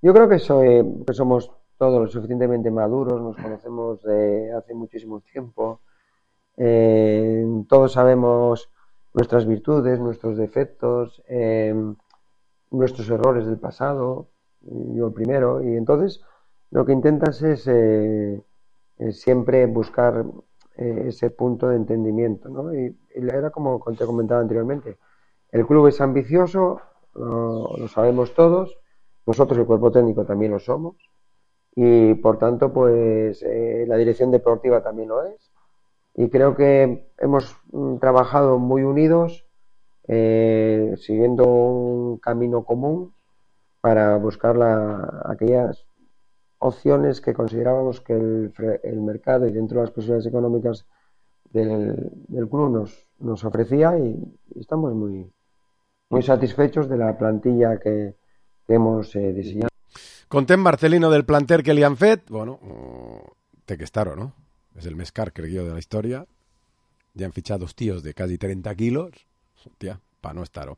yo creo que, soy, que somos todos lo suficientemente maduros, nos conocemos de hace muchísimo tiempo, eh, todos sabemos nuestras virtudes, nuestros defectos, eh, nuestros errores del pasado, yo el primero, y entonces lo que intentas es, eh, es siempre buscar eh, ese punto de entendimiento, ¿no? Y, y era como te comentaba anteriormente, el club es ambicioso, lo, lo sabemos todos, nosotros el cuerpo técnico también lo somos, y por tanto pues eh, la dirección deportiva también lo es, y creo que hemos mm, trabajado muy unidos, eh, siguiendo un camino común para buscar la, aquellas opciones que considerábamos que el, el mercado y dentro de las posibilidades económicas del, del club nos, nos ofrecía, y, y estamos muy, muy satisfechos de la plantilla que, que hemos eh, diseñado. Contem, Marcelino, del planter que li han fet. Bueno, té que estar-ho, no? És el més car, crec jo, de la història. Ja han fitxat dos tios de quasi trenta quilos. Hòstia, pa no estar-ho.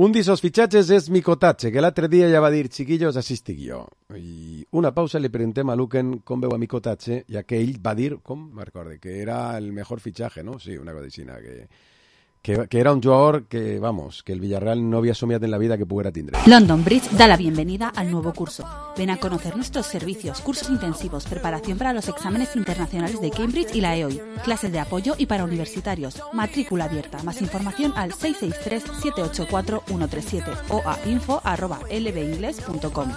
Un d'esos fitxatges és Mikotatge, que l'altre dia ja va dir, chiquillos, així estic jo. I una pausa li preguntem a Luquen com veu a Mikotatge, ja que ell va dir, com me recorde, que era el mejor fitxaje, no? Sí, una cosa així, que... Que, que era un jugador que, vamos, que el Villarreal no había soñado en la vida que pudiera tener. London Bridge da la bienvenida al nuevo curso. Ven a conocer nuestros servicios, cursos intensivos, preparación para los exámenes internacionales de Cambridge y la E O I, clases de apoyo y para universitarios, matrícula abierta. Más información al seis seis tres, siete ocho cuatro, uno tres siete o a info arroba l b ingles punto com.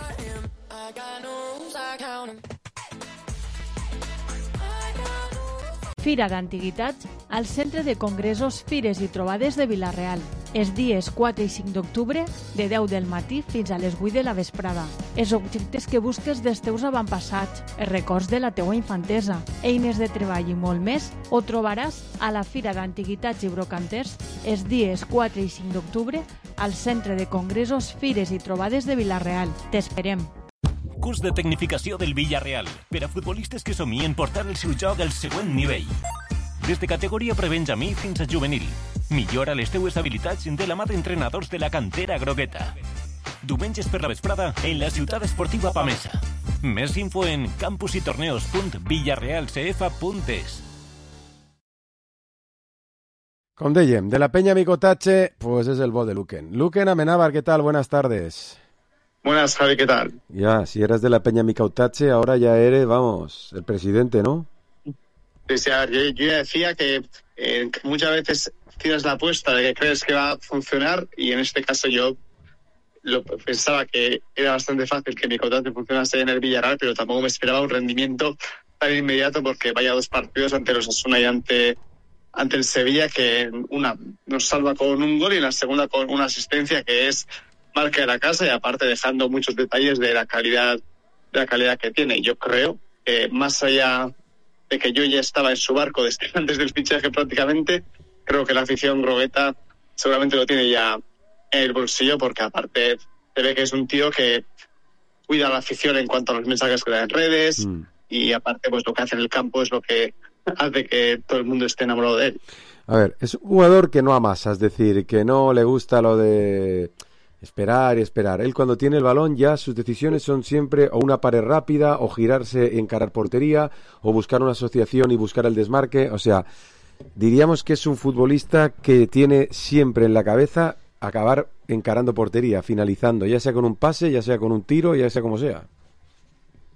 Fira d'Antiguitats al Centre de Congressos, Fires i Trobades de Vila-real. Els dies quatre i cinc d'octubre, de deu del matí fins a les vuit de la vesprada. Els objectes que busques dels teus avantpassats, els records de la teua infantesa, eines de treball i molt més, ho trobaràs a la Fira d'Antiguitats i Brocanters els dies quatre i cinc d'octubre al Centre de Congressos, Fires i Trobades de Vila-real. T'esperem. Curs de tecnificació del Villarreal per a futbolistes que somien portar el seu joc al següent nivell. Des de categoria prebenjamí fins a juvenil. Millora les teues habilitats de la mà d'entrenadors de la cantera grogueta. Diumenges per la vesprada en la ciutat esportiva Pamesa. Més info en campusitorneos punt villarreal c f punt es. Com dèiem, de la Peña Mikotatge, pues es el bo de Luquen. Luquen Amenábar, ¿qué tal? Buenas tardes. Buenas, Javi, ¿qué tal? Ya, si eras de la Peña Mikotatge, ahora ya eres, vamos, el presidente, ¿no? Sí, sí, a ver, yo, yo ya decía que eh, muchas veces tienes la apuesta de que crees que va a funcionar, y en este caso yo lo pensaba que era bastante fácil que Mikotatge funcionase en el Villarreal, pero tampoco me esperaba un rendimiento tan inmediato, porque vaya dos partidos ante los Osasuna y ante, ante el Sevilla, que una nos salva con un gol y la segunda con una asistencia que es marca de la casa, y aparte dejando muchos detalles de la calidad de la calidad que tiene. Yo creo que más allá de que yo ya estaba en su barco desde antes del fichaje prácticamente, creo que la afición grogueta seguramente lo tiene ya en el bolsillo, porque aparte se ve que es un tío que cuida a la afición en cuanto a los mensajes que da en redes, mm. y aparte pues lo que hace en el campo es lo que hace que todo el mundo esté enamorado de él. A ver, es un jugador que no amasa, es decir, que no le gusta lo de esperar y esperar. Él cuando tiene el balón ya sus decisiones son siempre o una pared rápida, o girarse y encarar portería, o buscar una asociación y buscar el desmarque. O sea, diríamos que es un futbolista que tiene siempre en la cabeza acabar encarando portería, finalizando, ya sea con un pase, ya sea con un tiro, ya sea como sea.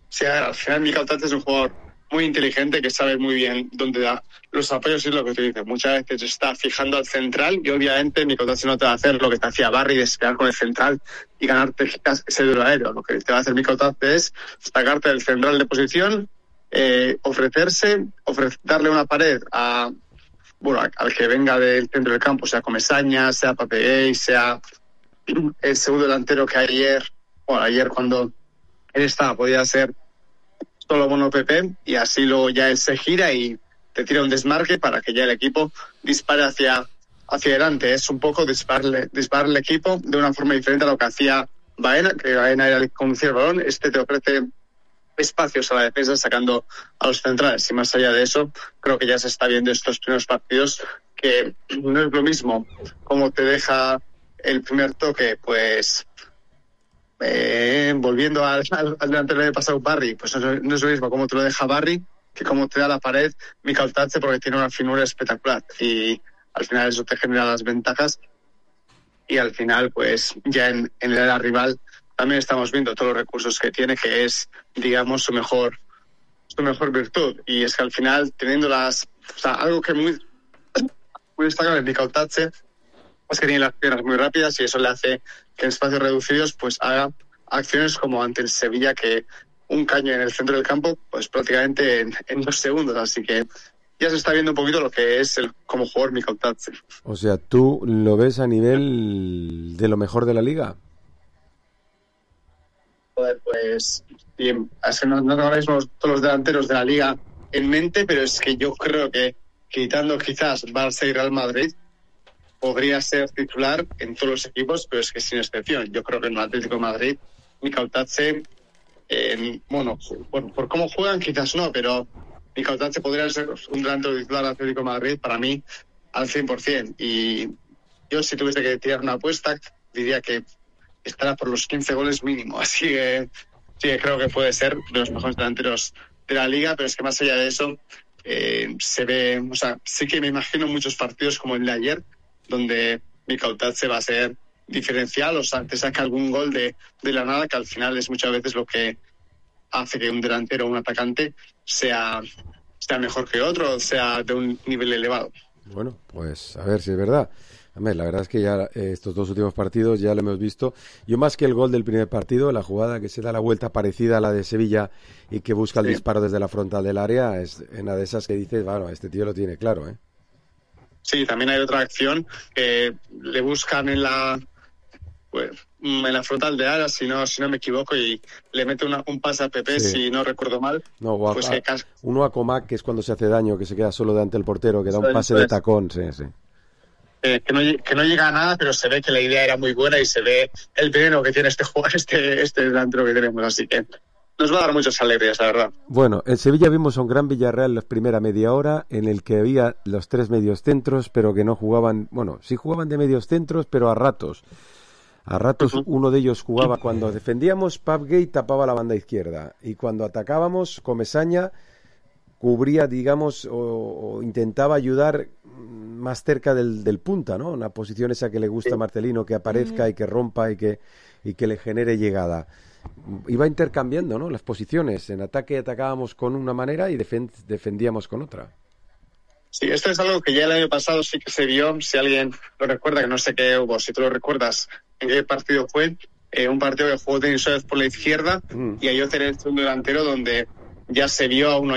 Sí, a ver, al final Mikotatge es un jugador muy inteligente, que sabe muy bien dónde da los apoyos, y es lo que tú dices. Muchas veces está fijando al central, y obviamente Mikotatge no te va a hacer lo que te hacía Barry, de esperar con el central y ganarte ese duelo aéreo. Lo que te va a hacer Mikotatge es sacarte del central de posición, eh, ofrecerse, ofrecer, darle una pared a, bueno, al que venga del centro del campo, sea Comesaña, sea Pape, sea el segundo delantero que ayer, bueno, ayer cuando él estaba, podía ser solo Bono Pepe, y así luego ya él se gira y te tira un desmarque para que ya el equipo dispare hacia, hacia adelante. Es un poco dispararle, disparar el equipo de una forma diferente a lo que hacía Baena, que Baena era el que conducía el balón, este te ofrece espacios a la defensa sacando a los centrales. Y más allá de eso, creo que ya se está viendo estos primeros partidos que no es lo mismo como te deja el primer toque, pues eh, volviendo al, al, al delantero del pasado Barry, pues no, no es lo mismo como te lo deja Barry que como te da la pared Mikel Otatze, porque tiene una finura espectacular y al final eso te genera las ventajas y al final pues ya en, en el área rival también estamos viendo todos los recursos que tiene, que es, digamos, su mejor su mejor virtud. Y es que al final, teniendo las... O sea, algo que muy, muy destacable en Mikel Otatze es que tiene las piernas muy rápidas y eso le hace que en espacios reducidos pues haga acciones como ante el Sevilla, que un caño en el centro del campo, pues prácticamente en, en dos segundos. Así que ya se está viendo un poquito lo que es el como jugador Mikel Otatze. O sea, ¿tú lo ves a nivel de lo mejor de la liga? Pues bien, es que no, no tengo ahora mismo todos los delanteros de la liga en mente, pero es que yo creo que quitando quizás Barça y Real Madrid podría ser titular en todos los equipos, pero es que sin excepción. Yo creo que en el Atlético de Madrid Mikel Otatze, eh, bueno, bueno, por cómo juegan quizás no, pero Mikel Otatze podría ser un delantero titular del Atlético de Madrid para mí al cien por ciento. Y yo si tuviese que tirar una apuesta diría que estará por los quince goles mínimo, así que sí, creo que puede ser de los mejores delanteros de la liga, pero es que más allá de eso eh, se ve, o sea, sí que me imagino muchos partidos como el de ayer, donde Mikel Otatze va a ser diferencial, o sea, te saca algún gol de, de la nada, que al final es muchas veces lo que hace que un delantero o un atacante sea, sea mejor que otro, sea de un nivel elevado. Bueno, pues a ver si es verdad. Hombre, la verdad es que ya eh, estos dos últimos partidos ya lo hemos visto. Yo más que el gol del primer partido, la jugada que se da la vuelta parecida a la de Sevilla y que busca el sí. disparo desde la frontal del área, es una de esas que dices, bueno, este tío lo tiene claro, ¿eh? Sí, también hay otra acción que le buscan en la pues, en la frontal de área, si no, si no me equivoco, y le mete una, un pase a Pepe, sí. si no recuerdo mal. No, o a, pues a, que... uno a Comac, que es cuando se hace daño, que se queda solo delante del portero, que da un pase de tacón, sí, sí. Eh, que, no, que no llega a nada, pero se ve que la idea era muy buena y se ve el veneno que tiene este jugador, este, este delantero que tenemos, así que nos va a dar muchas alegrías, la verdad. Bueno, en Sevilla vimos a un gran Villarreal la primera media hora, en el que había los tres medios centros, pero que no jugaban, bueno, sí jugaban de medios centros, pero a ratos. A ratos uh-huh. uno de ellos jugaba cuando defendíamos, Pavgate tapaba la banda izquierda, y cuando atacábamos, Comesaña cubría, digamos, o, o intentaba ayudar más cerca del, del punta, ¿no? Una posición esa que le gusta a Marcelino, que aparezca y que rompa y que, y que le genere llegada. Iba intercambiando, ¿no?, las posiciones. En ataque atacábamos con una manera y defen- defendíamos con otra. Sí, esto es algo que ya el año pasado sí que se vio. Si alguien lo recuerda, que no sé qué hubo, si tú lo recuerdas, en qué partido fue, eh, un partido que jugó Denis Suárez por la izquierda mm. y Ayoce en el segundo delantero, donde ya se vio a un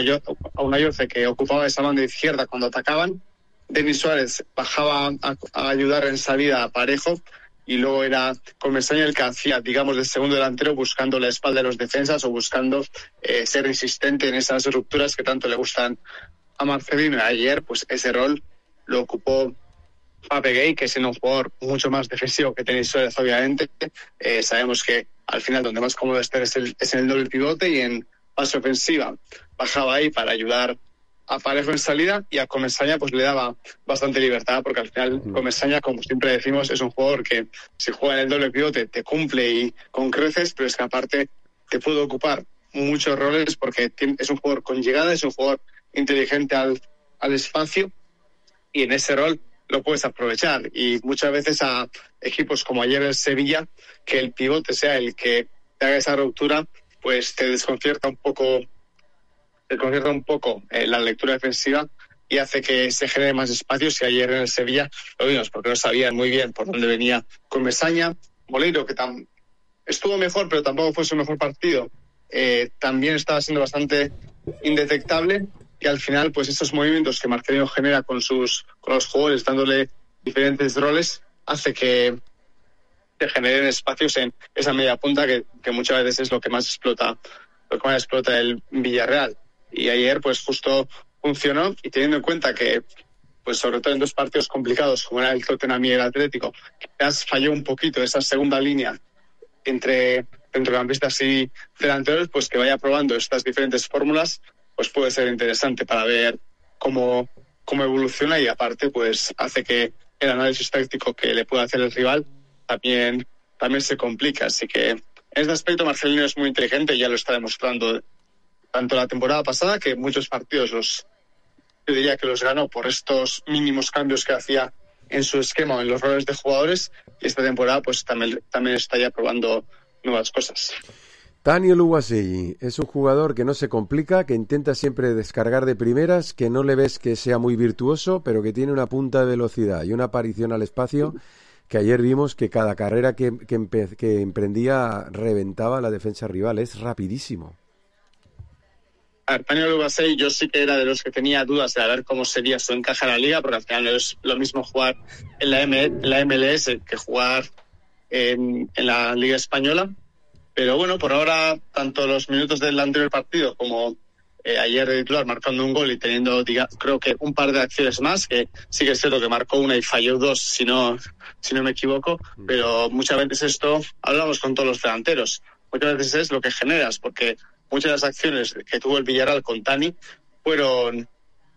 Ayoce que ocupaba esa banda izquierda cuando atacaban. Denis Suárez bajaba a, a ayudar en salida a Parejo y luego era Comesaña el que hacía, digamos, de segundo delantero, buscando la espalda de los defensas o buscando eh, ser insistente en esas rupturas que tanto le gustan a Marcelino. Ayer, pues ese rol lo ocupó Pape Gay, que es un jugador mucho más defensivo que Denis Suárez, obviamente. Eh, sabemos que al final donde más cómodo estar es, el, es en el doble pivote, y en fase ofensiva bajaba ahí para ayudar a Parejo en salida, y a Comesaña pues le daba bastante libertad, porque al final Comesaña, como siempre decimos, es un jugador que si juega en el doble pivote te cumple y con creces, pero es que aparte te puede ocupar muchos roles, porque es un jugador con llegada, es un jugador inteligente al, al espacio, y en ese rol lo puedes aprovechar. Y muchas veces a equipos como ayer el Sevilla, que el pivote sea el que te haga esa ruptura, pues te desconcierta un poco te desconcierta un poco eh, la lectura defensiva y hace que se genere más espacios. Y ayer en el Sevilla lo vimos, porque no sabían muy bien por dónde venía Comesaña. Moleiro, que tam- estuvo mejor, pero tampoco fue su mejor partido, eh, también estaba siendo bastante indetectable, y al final pues estos movimientos que Marcelino genera con sus con los jugadores, dándole diferentes roles, hace que se generen espacios en esa media punta que, que muchas veces es lo que más explota lo que más explota el Villarreal. Y ayer pues justo funcionó, y teniendo en cuenta que pues sobre todo en dos partidos complicados como era el Tottenham y el Atlético, quizás falló un poquito esa segunda línea entre centrocampistas y delanteros, pues que vaya probando estas diferentes fórmulas, pues puede ser interesante para ver cómo, cómo evoluciona, y aparte pues hace que el análisis táctico que le pueda hacer el rival también, también se complica. Así que en este aspecto Marcelino es muy inteligente y ya lo está demostrando tanto la temporada pasada, que muchos partidos los yo diría que los ganó por estos mínimos cambios que hacía en su esquema o en los roles de jugadores, y esta temporada pues también, también está ya probando nuevas cosas. Tani Oluwaseyi es un jugador que no se complica, que intenta siempre descargar de primeras, que no le ves que sea muy virtuoso, pero que tiene una punta de velocidad y una aparición al espacio que ayer vimos que cada carrera que, que, empe- que emprendía reventaba la defensa rival. Es rapidísimo. A ver, Tani Oluwaseyi yo sí que era de los que tenía dudas de a ver cómo sería su encaje en la liga, porque al final no es lo mismo jugar en la, M- en la M L S que jugar en, en la Liga Española. Pero bueno, por ahora, tanto los minutos del anterior partido como eh, ayer de titular marcando un gol y teniendo, diga, creo que un par de acciones más, que sí que es cierto que marcó una y falló dos, si no, si no me equivoco, pero muchas veces esto, hablamos con todos los delanteros, muchas veces es lo que generas, porque muchas de las acciones que tuvo el Villarreal con Tani fueron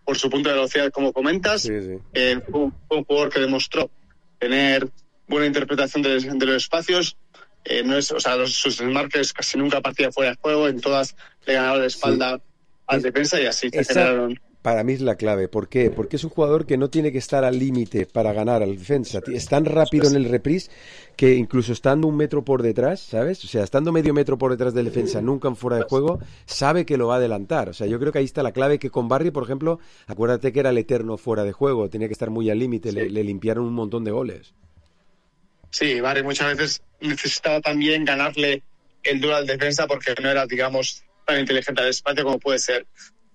por su punto de velocidad, como comentas. Sí, sí. Eh, fue un, fue un jugador que demostró tener buena interpretación de, de los espacios. Eh, no es, o sea, los, sus desmarques casi nunca partía fuera de juego, en todas le ganaba la espalda sí. al es, defensa, y así se generaron. Para mí es la clave. ¿Por qué? Porque es un jugador que no tiene que estar al límite para ganar al defensa. Es tan rápido en el reprise que incluso estando un metro por detrás, ¿sabes? O sea, estando medio metro por detrás del defensa, nunca en fuera de juego, sabe que lo va a adelantar. O sea, yo creo que ahí está la clave, que con Barry, por ejemplo, acuérdate que era el eterno fuera de juego, tenía que estar muy al límite, sí. le, le limpiaron un montón de goles. Sí, Barry muchas veces necesitaba también ganarle el duelo al defensa, porque no era, digamos, tan inteligente al espacio como puede ser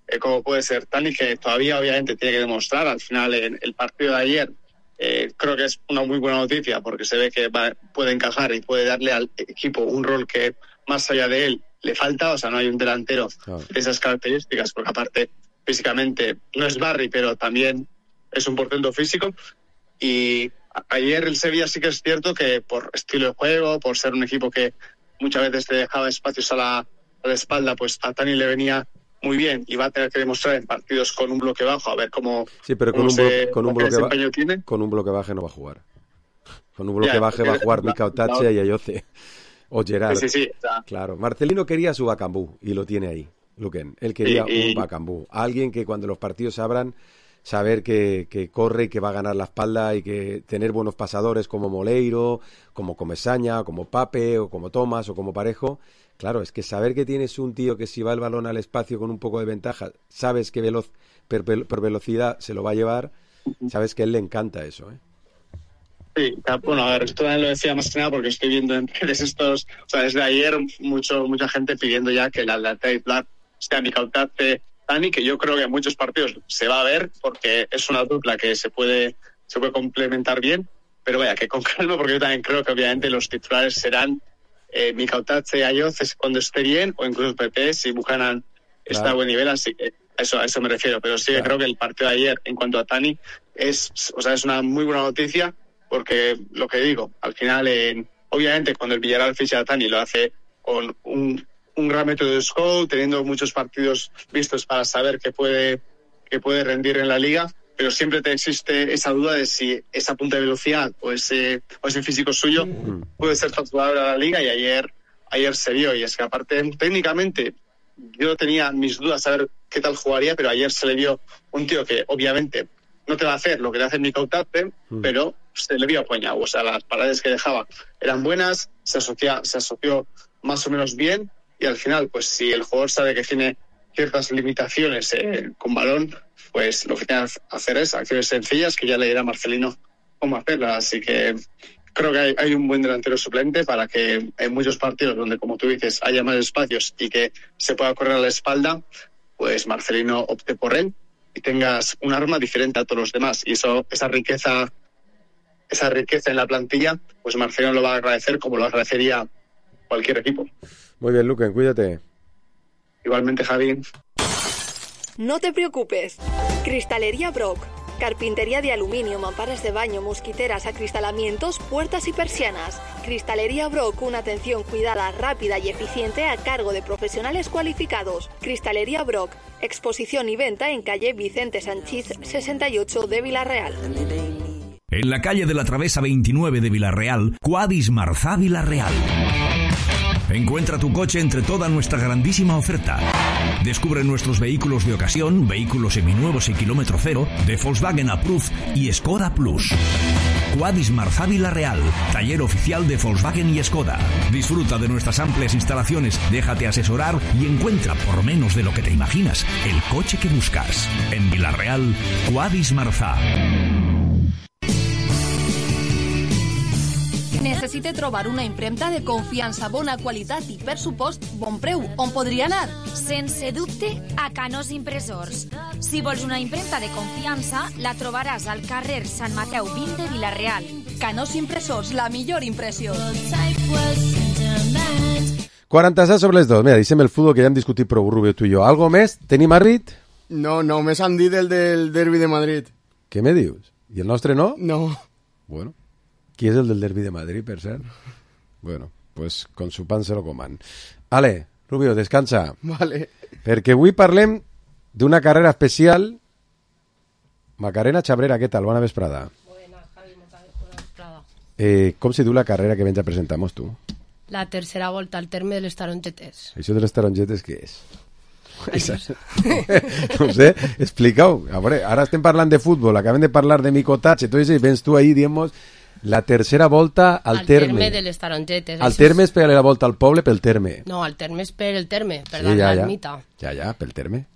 eh, como puede ser Tani, que todavía obviamente tiene que demostrar. Al final, en el partido de ayer, eh, creo que es una muy buena noticia, porque se ve que va, puede encajar y puede darle al equipo un rol que más allá de él le falta. O sea, no hay un delantero oh. de esas características, porque aparte físicamente no es Barry, pero también es un portento físico. Y ayer el Sevilla sí que es cierto que por estilo de juego, por ser un equipo que muchas veces te dejaba espacios a la, a la espalda, pues a Tani le venía muy bien, y va a tener que demostrar en partidos con un bloque bajo a ver cómo, sí, pero con cómo un, se, blo- con un bloque ba- tiene. Con un bloque baje no va a jugar. Con un bloque ya, baje va a jugar Mika Otache y Ayoce o Gerard. Sí, sí, sí, o sea, claro. Marcelino quería su Bakambu y lo tiene ahí, Luquen. Él quería y, y... un Bakambu, alguien que cuando los partidos se abran, saber que, que corre y que va a ganar la espalda, y que tener buenos pasadores como Moleiro, como Comesaña, como Pape, o como Tomás, o como Parejo. Claro, es que saber que tienes un tío que si va el balón al espacio con un poco de ventaja, sabes que veloz, per, por velocidad se lo va a llevar, sabes que a él le encanta eso, ¿eh? Sí, bueno, a ver, esto también lo decía más que nada porque estoy viendo en redes estos, o sea, desde ayer mucho mucha gente pidiendo ya que la lateral titular sea Mika Otache, Tani, que yo creo que en muchos partidos se va a ver, porque es una dupla que se puede se puede complementar bien, pero vaya, que con calma, porque yo también creo que obviamente los titulares serán eh, Mika Otache y Ayoce cuando esté bien, o incluso Pepe si Buchanan está claro. a buen nivel, así que a eso, a eso me refiero. Pero sí que claro. creo que el partido de ayer, en cuanto a Tani, es, o sea, es una muy buena noticia, porque lo que digo, al final, eh, obviamente cuando el Villarreal ficha a Tani lo hace con un, un gran método de scout, teniendo muchos partidos vistos para saber que puede, que puede rendir en la liga, pero siempre te existe esa duda de si esa punta de velocidad o ese, o ese físico suyo puede ser trasladable a la liga, y ayer, ayer se vio. Y es que aparte, técnicamente, yo tenía mis dudas a ver qué tal jugaría, pero ayer se le vio un tío que obviamente no te va a hacer lo que te hace Mika Otache, mm. pero se le vio apoyado. O sea, las paradas que dejaba eran buenas, se asocia, se asoció más o menos bien, y al final, pues si el jugador sabe que tiene ciertas limitaciones eh, con balón, pues lo que tiene que hacer es acciones sencillas, que ya le dirá Marcelino cómo hacerlas. Así que creo que hay, hay un buen delantero suplente para que en muchos partidos donde, como tú dices, haya más espacios y que se pueda correr a la espalda, pues Marcelino opte por él y tengas un arma diferente a todos los demás. Y eso, esa riqueza, esa riqueza en la plantilla, pues Marcelino lo va a agradecer como lo agradecería cualquier equipo. Muy bien, Luquen, cuídate. Igualmente, Javi. No te preocupes. Cristalería Brock. Carpintería de aluminio, mamparas de baño, mosquiteras, acristalamientos, puertas y persianas. Cristalería Brock, una atención cuidada, rápida y eficiente a cargo de profesionales cualificados. Cristalería Brock, exposición y venta en calle Vicente Sanchís sesenta y ocho de Villarreal. En la calle de la Travesa veintinueve de Villarreal, Quadis Marzá Villarreal. Encuentra tu coche entre toda nuestra grandísima oferta. Descubre nuestros vehículos de ocasión, vehículos seminuevos y kilómetro cero, de Volkswagen Approved y Skoda Plus. Quadis Marzá Villarreal, taller oficial de Volkswagen y Skoda. Disfruta de nuestras amplias instalaciones, déjate asesorar y encuentra por menos de lo que te imaginas el coche que buscas. En Villarreal, Quadis Marzá. Necessite trobar una impremta de confiança, bona qualitat i, per supost, bon preu. On podria anar? Sense dubte, a Canós Impressors. Si vols una impremta de confiança, la trobaràs al carrer Sant Mateu vint de Villarreal. Canós Impressors, la millor impressió. quaranta-set sobre les dos. Mira, deixem el futbol, que ja hem discutit prou, Rubio, tu i jo. Algo més? Tenim Arrit? No, no, més han dit el del derbi de Madrid. Què me dius? I el nostre no? No. Bueno. Qui és el del derbi de Madrid, per cert? Bueno, pues con su pan se lo coman. Ale, Rubio, descansa. Vale. Perquè avui parlem d'una carrera especial. Macarena Chabrera, què tal? Bona vesprada. Buenas, Javi, bona vesprada. Eh, com se diu la carrera que vens a presentar-nos tu? La tercera volta al terme de les tarongetes. Això de les tarongetes què és? No sé, explica-ho. A veure, ara estem parlant de futbol, acabem de parlar de micotatge, tot això, i vens tu ahí, diem-nos, la tercera volta al, al terme. terme de les tarongetes. Al terme és per la volta al poble pel terme. No, al terme és per el terme, per sí, dar ja, l'ermita. Ja, ja, pel terme.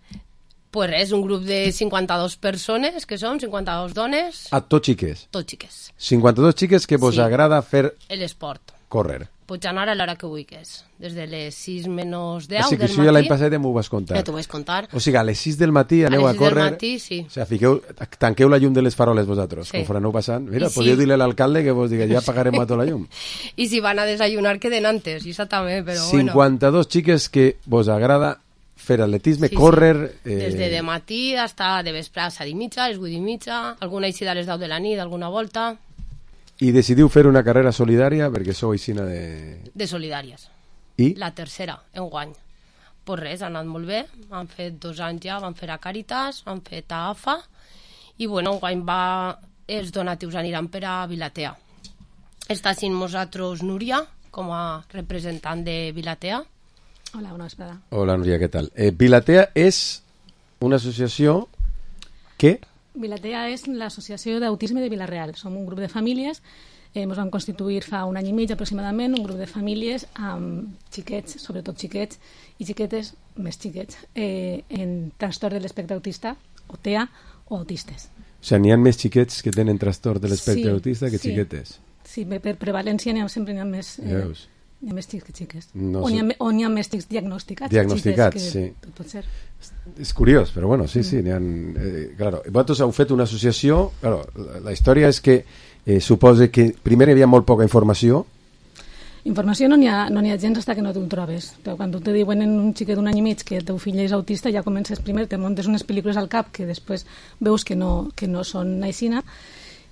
Pues res, un grup de cinquanta-dos persones, que som cinquanta-dos dones. Ah, tot xiques? Tot xiques. cinquanta-dos xiques que vos sí. agrada fer... l'esport. Córrer. Pots anar a l'hora que vulguis, des de les sis menys deu Així que del això matí. ja l'any passat m'ho vas contar. Ja t'ho vaig contar. O sigui, a les sis del matí aneu a, a córrer... A les sis del matí, sí. O sigui, fiqueu, tanqueu la llum de les faroles vosaltres, sí. com aneu passant. Mira, I podíeu sí. dir-li a l'alcalde que vos digui, ja apagarem sí. tota la llum. I si van a desayunar, queden antes, i això també, però cinquanta-dos bueno. xiques que vos agrada fer atletisme, sí, córrer... Sí. Eh... Des de, de matí hasta de vespre a set i mitja, les vuit i mitja, alguna eixida a les deu de la nit, alguna volta... I decidiu fer una carrera solidària perquè sou aixina de... De solidàries. I? La tercera, enguany. Pues res, ha anat molt bé. Han fet dos anys ja, van fer a Càritas, han fet a A F A, i bueno, enguany va... els donatius aniran per a Vilatea. Està sent nosaltres Núria, com a representant de Vilatea. Hola, bona vesprada. Hola, Núria, què tal? Eh, Vilatea és una associació que... Vilatea és l'associació d'autisme de Villarreal. Som un grup de famílies, eh, ens vam constituir fa un any i mig aproximadament, un grup de famílies amb xiquets, sobretot xiquets i xiquetes més xiquets, eh, en trastorn de l'espectre autista, o T E A, o autistes. O sigui, n'hi ha més xiquets que tenen trastorn de l'espectre sí, autista que sí. xiquetes. Sí, per prevalència n'hi ha, sempre n'hi ha més... Eh, Veus? Hi ha més xics que xiques. No o, sé. n'hi ha, o n'hi ha més xics diagnosticats. Diagnosticats, que, sí. Pot ser. És curiós, però bueno, sí, sí. N'hi ha, eh, claro. Vosaltres heu fet una associació... Claro, la, la història és que eh, suposa que primer hi havia molt poca informació. Informació no n'hi ha, no n'hi ha gens fins que no t'ho trobes. Quan tu te diuen en un xiquet d'un any i mig que el teu fill és autista, ja comences primer, te muntes unes pel·lícules al cap que després veus que no, que no són aixina,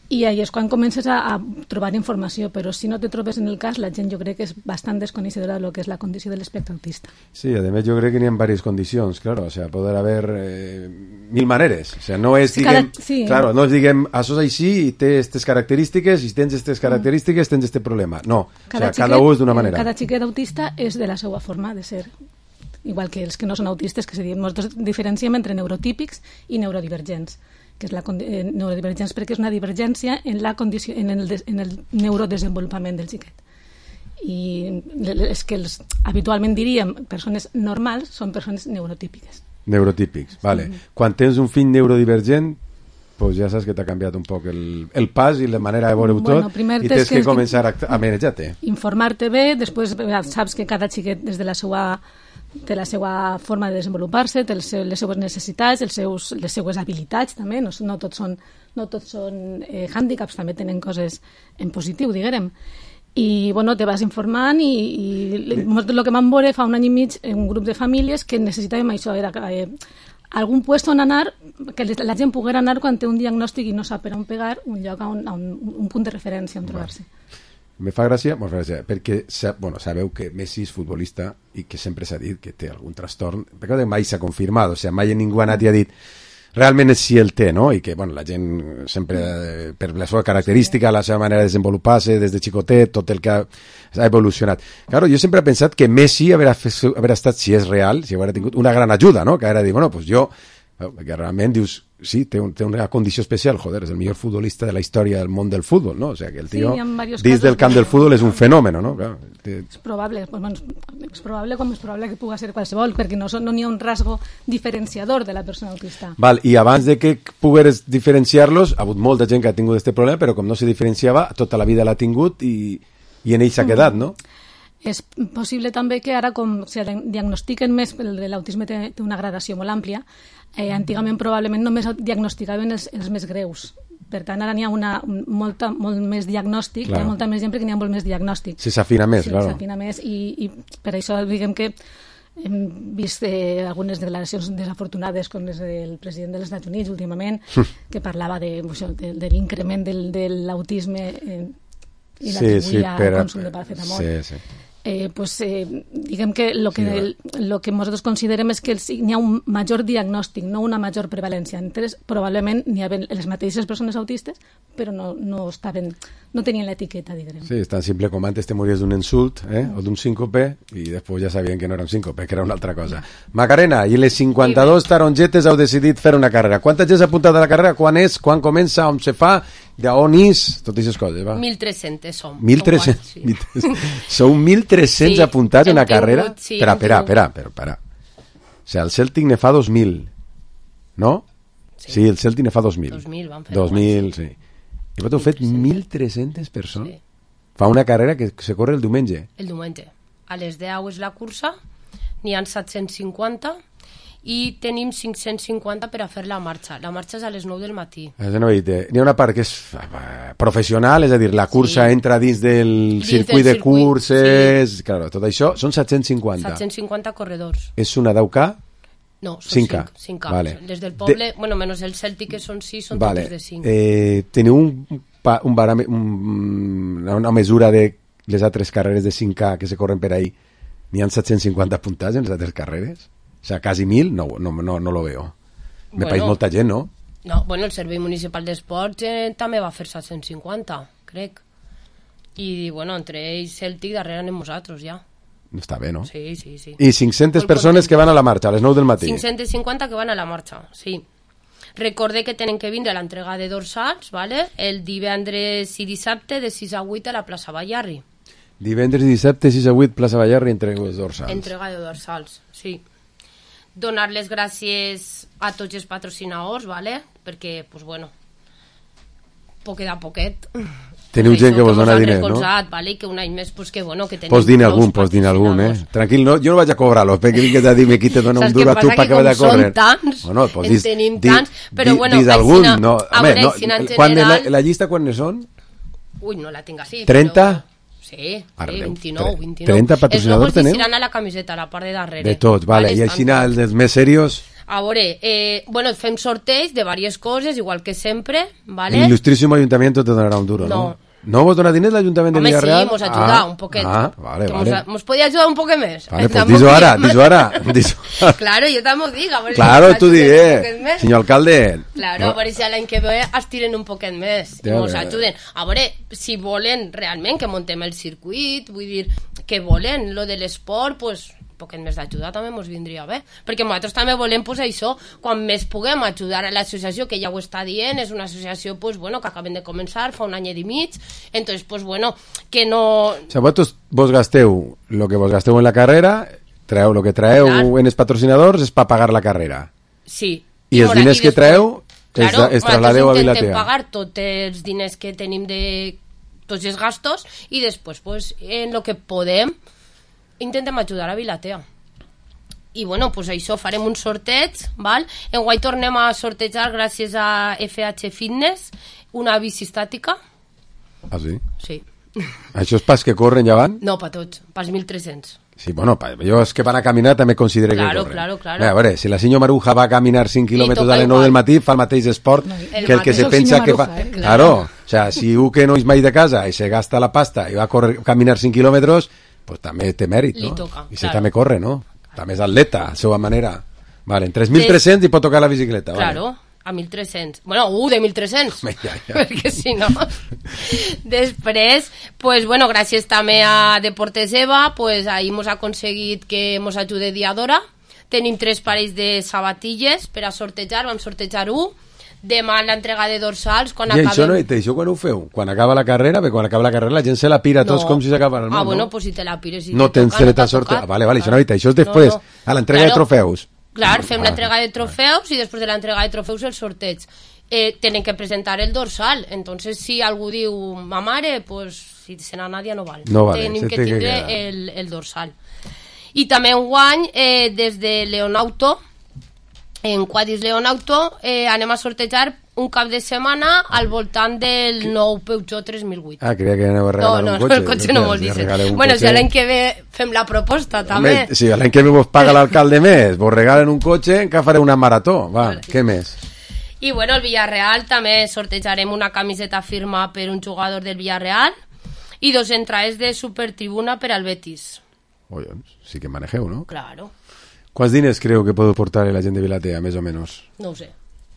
i ahí és quan comences a, a trobar informació, però si no te trobes en el cas, la gent jo crec que és bastant desconeixedora del que és la condició de l'espectre autista. Sí, además yo creo que n'hi ha varias condicions, claro, o sea, poder haver eh, mil maneres, o sea, no és, sí, diguem, cada, sí. claro, no és, diguem, això és així i té aquestes característiques, i si tens aquestes característiques tens este problema, no, cada o sea, cada un és d'una manera. Cada xiquet autista és de la seva forma de ser, igual que els que no són autistes, que se diuen, nosaltres diferenciem entre neurotípics i neurodivergents, que és la eh, neurodivergència perquè és una divergència en, la condició, en, el, en el neurodesenvolupament del xiquet. I és que els, habitualment diríem persones normals són persones neurotípiques. Neurotípics, vale. Sí. Quan tens un fill neurodivergent, pues ja saps que t'ha canviat un poc el, el pas i la manera de veure-ho bueno, tot, i tens que, que començar a, a manejar-te. Informar-te bé, després saps que cada xiquet des de la seva té la seva forma de desenvolupar-se, té les seues necessitats, els seus, les seues habilitats també, no, no tots són, no tots són eh, hàndicaps, també tenen coses en positiu, diguem. I bueno, te vas informant i, i el que vam veure fa un any i mig en un grup de famílies que necessitàvem això, era eh, algun puesto on anar, que la gent poguera anar quan té un diagnòstic i no sap per on pegar, un lloc, a un, a un, un punt de referència on trobar-se. Me fa gràcia, me fa gràcia perquè bueno, sabeu que Messi és futbolista i que sempre s'ha dit que té algun trastorn, perquè mai s'ha confirmat, o sigui, mai ningú ha anat i ha dit realment si el té, no? I que bueno, la gent sempre, per la seva característica, la seva manera de desenvolupar-se des de xicotet, tot el que ha, ha evolucionat. Claro, jo sempre he pensat que Messi haurà, haurà estat, si és real, si haurà tingut una gran ajuda, no? Que haurà dit, bueno, pues jo, que realment dius, sí, té, un, té una condició especial, joder, és el millor futbolista de la història del món del futbol, no? O sea, que el tio, sí, dins del camp del futbol és un fenòmen, no? Claro, té... És probable, bueno, és probable com és probable que pugui ser qualsevol, perquè no, no n'hi ha un rasgo diferenciador de la persona autista. Val, i abans de que pogueres diferenciar-los, ha hagut molta gent que ha tingut aquest problema, però com no se diferenciava, tota la vida l'ha tingut i, i en ell s'ha quedat, no? És possible també que ara, com se diagnostiquen més, l'autisme té, té una gradació molt àmplia, eh, antigament probablement només diagnosticaven els, els més greus. Per tant, ara n'hi ha una, molta, molt més diagnòstic, hi ha molta més gent perquè n'hi ha molt més diagnòstic. Sí, s'afina més, sí, claro. S'afina més i, i per això diguem que hem vist eh, algunes declaracions desafortunades com les del president dels Estats Units últimament, que parlava de, això, de, de l'increment del, de l'autisme eh, i l'atribuïa sí, sí, al consum de paracetamol. Sí, sí. Eh, pues, eh, diguem que el que, sí, el, que nosaltres considerem és que n'hi ha un major diagnòstic, no una major prevalència. Entonces, probablement n'hi havia les mateixes persones autistes, però no, no, estaven, no tenien l'etiqueta, diguem. Sí, és tan simple com antes te mories d'un insult eh, o d'un síncope i després ja sabien que no era un síncope, que era una altra cosa. Macarena, i les cinquanta-dos tarongetes heu decidit fer una carrera. Quanta gent s'ha apuntat a la carrera? Quan és? Quan comença? On se fa? D'on és? Totes aquestes coses, va. mil tres-cents som. mil tres-cents? Sí. Sou mil tres-cents sí, apuntats a una carrera? Sí, espera, espera, espera, espera, espera. O sigui, el Celtic ne fa dos mil, no? Sí, sí el Celtic ne fa dos mil. dos mil, van fer dos mil, sí. I vosaltres heu fet mil tres-centes persones? Sí. Fa una carrera que se corre el diumenge. El diumenge. A les deu és la cursa, n'hi ha set-cents cinquanta i tenim cinc-cents cinquanta per a fer la marxa. La marxa és a les nou del matí. N'hi ha una part que és professional, és a dir, la cursa sí. entra dins del dins circuit del de circuit, curses... Sí. Claro, tot això són set-cents cinquanta. set-cents cinquanta corredors. És una deu K? No, són cinc K. cinc K. Vale. Des del poble, de... bueno, menys el Celtic, que són sis, són vale. totes de cinc. Eh, teniu un, un, barame, un, una mesura de les altres carreres de cinc K que se corren per ahí? N'hi ha set-cents cinquanta apuntats en les altres carreres? O sea, quasi mil, no, no, no, no lo veo. Me bueno, país molta gent, no? No, bueno, el Servei Municipal d'Esports eh, també va fer set-cents cinquanta, crec. I, bueno, entre ells Celtic, darrere anem nosaltres, ja. Està bé, no? Sí, sí, sí. I cinc-centes persones que van a la marxa, a les nou del matí. cinc-cents cinquanta que van a la marxa, sí. Recorde que tenen que vindre a l'entrega de dorsals, ¿vale? El divendres i dissabte de sis a vuit a la plaça Ballarri. Divendres i dissabte, sis a vuit, plaça Ballarri, entrega de dorsals. Entrega de dorsals, sí. Donar les gràcies a tots els patrocinadors, ¿vale? Perquè, pues bueno, poquet a poquet. Teniu gent que vos dona diners, no? Vale? Que un any més, pues que bueno, que tenim... Pos dir algun, pos dir algun, eh? Tranquil, no, jo no vaig a cobrar-lo, perquè vingues a dir-me qui te dona un duro a tu pa que vaig a córrer. Saps què passa? Que com són tants, bueno, pues, dis, en tenim di, tants, però di, bueno... Dis algun, sina, no... A veure, no, sina en quan general... la, la llista quan ne són? Ui, no la tinc així, trenta? Però... Sí, sí, vint-i-nou, vint-i-nou. trenta patrocinadors teneu? teneu? Els logos a la camiseta, a la part de darrere. De tots, vale. I així els més serios... A veure, eh, bueno, fem sorteig de diverses coses, igual que sempre, ¿vale? El Ilustrísimo Ayuntamiento te donarà un duro, ¿no? No. ¿No vos dona diners l'Ajuntament de Villarreal? Home, sí, mos ajuda ah, un poquet. Ah, vale, que vale. Mos, mos podía ayudar un poquet més. Vale, pues dis-ho ara, dis-ho ara. Dis claro, jo també ho dic. A veure claro, si tu digué, senyor alcalde. Claro, no. A veure si l'any que ve estiren un poquet més i mos ajuden. A veure, si volen realment que montem el circuit, vull dir, que volen lo de l'esport, pues... poquet més d'ajuda també ens vindria bé, perquè nosaltres també volem pues, això, quan més puguem ajudar a l'associació, que ja ho està dient, és una associació pues, bueno, que acaben de començar fa un any i mig, entonces pues, bueno, que no... O sigui, vosaltres vos gasteu el que vos gasteu en la carrera, traeu el que traeu Clar. en els patrocinadors és per pagar la carrera. Sí. I, I els diners que traeu claro, es, es trasladeu a Vilatea. Intentem pagar tots els diners que tenim de tots els gastos i després pues, en el que podem intentem ajudar a Vilatea. I bueno, pues això, farem un sorteig, val? Enguany tornem a sortejar gràcies a F H Fitness una bici estàtica. Ah, sí? Sí. Això és pas que corren ja van? No, per tots, pas mil tres-cents. Sí, bueno, jo és que per a caminar també considero claro, que corren. Claro, claro. A veure, si la senyora Maruja va a caminar cinc quilòmetres a les nou del matí, fa el mateix esport no, el que el que se pensa que fa... Maruja, eh? Claro, o sea, si un que no és mai de casa i se gasta la pasta i va a correr, caminar cinc quilòmetres, pues també té mèrit, no? Toca, I si claro. també corre, no? També és atleta, a la seva manera. Vale, en tres mil tres-cents i pot tocar la bicicleta. Claro. Vale. A mil tres-cents. Bueno, uh, de mil tres-cents. Ja, ja. Perquè si no... Després, pues, bueno, gràcies també a Deportes Eva, pues, ahir hemos aconseguit que mos ajude Diadora. Tenim tres parells de sabatilles per a sortejar, vam sortejar un. Demà l'entrega de dorsals, quan I acabem... això, no, i això quan ho feu? Quan acaba la carrera? Perquè quan acaba la carrera la gent se la pira tots No. com si s'acaba el món, Ah, bueno, no? pues si te la pires... Si No te tens toca, tret t'ha a sorte... tocat. Ah, vale, vale, això no, això és després, No, no. a l'entrega Claro. de trofeus. Clar, fem Ah, l'entrega de trofeus i després de l'entrega de trofeus el sorteig. Eh, tenen que presentar el dorsal. Entonces, si algú diu, ma mare, pues, si se n'ha Nadia no val. No vale, Tenim se que té que tindre quedar. el, el dorsal. I també enguany, eh, des de Leonauto, en Quadis Leonauto, eh, anem a sortejar un cap de setmana al voltant del nou Peugeot tres mil vuit. Ah, creia que aneu a No, regalar no, un cotxe. el cotxe no vol dir. Bueno, si l'any que ve fem la proposta, també. Home, si l'any que ve vos paga l'alcalde més, vos regalen un cotxe, que fareu una marató. Va, vale. Què més? I bueno, el Villarreal també sortejarem una camiseta firma per un jugador del Villarreal i dos entrades de supertribuna per al Betis. Collons, sí que manegeu, no? Claro. Quants diners creu que podeu portar la gent de Vilatea, més o menys? No ho sé.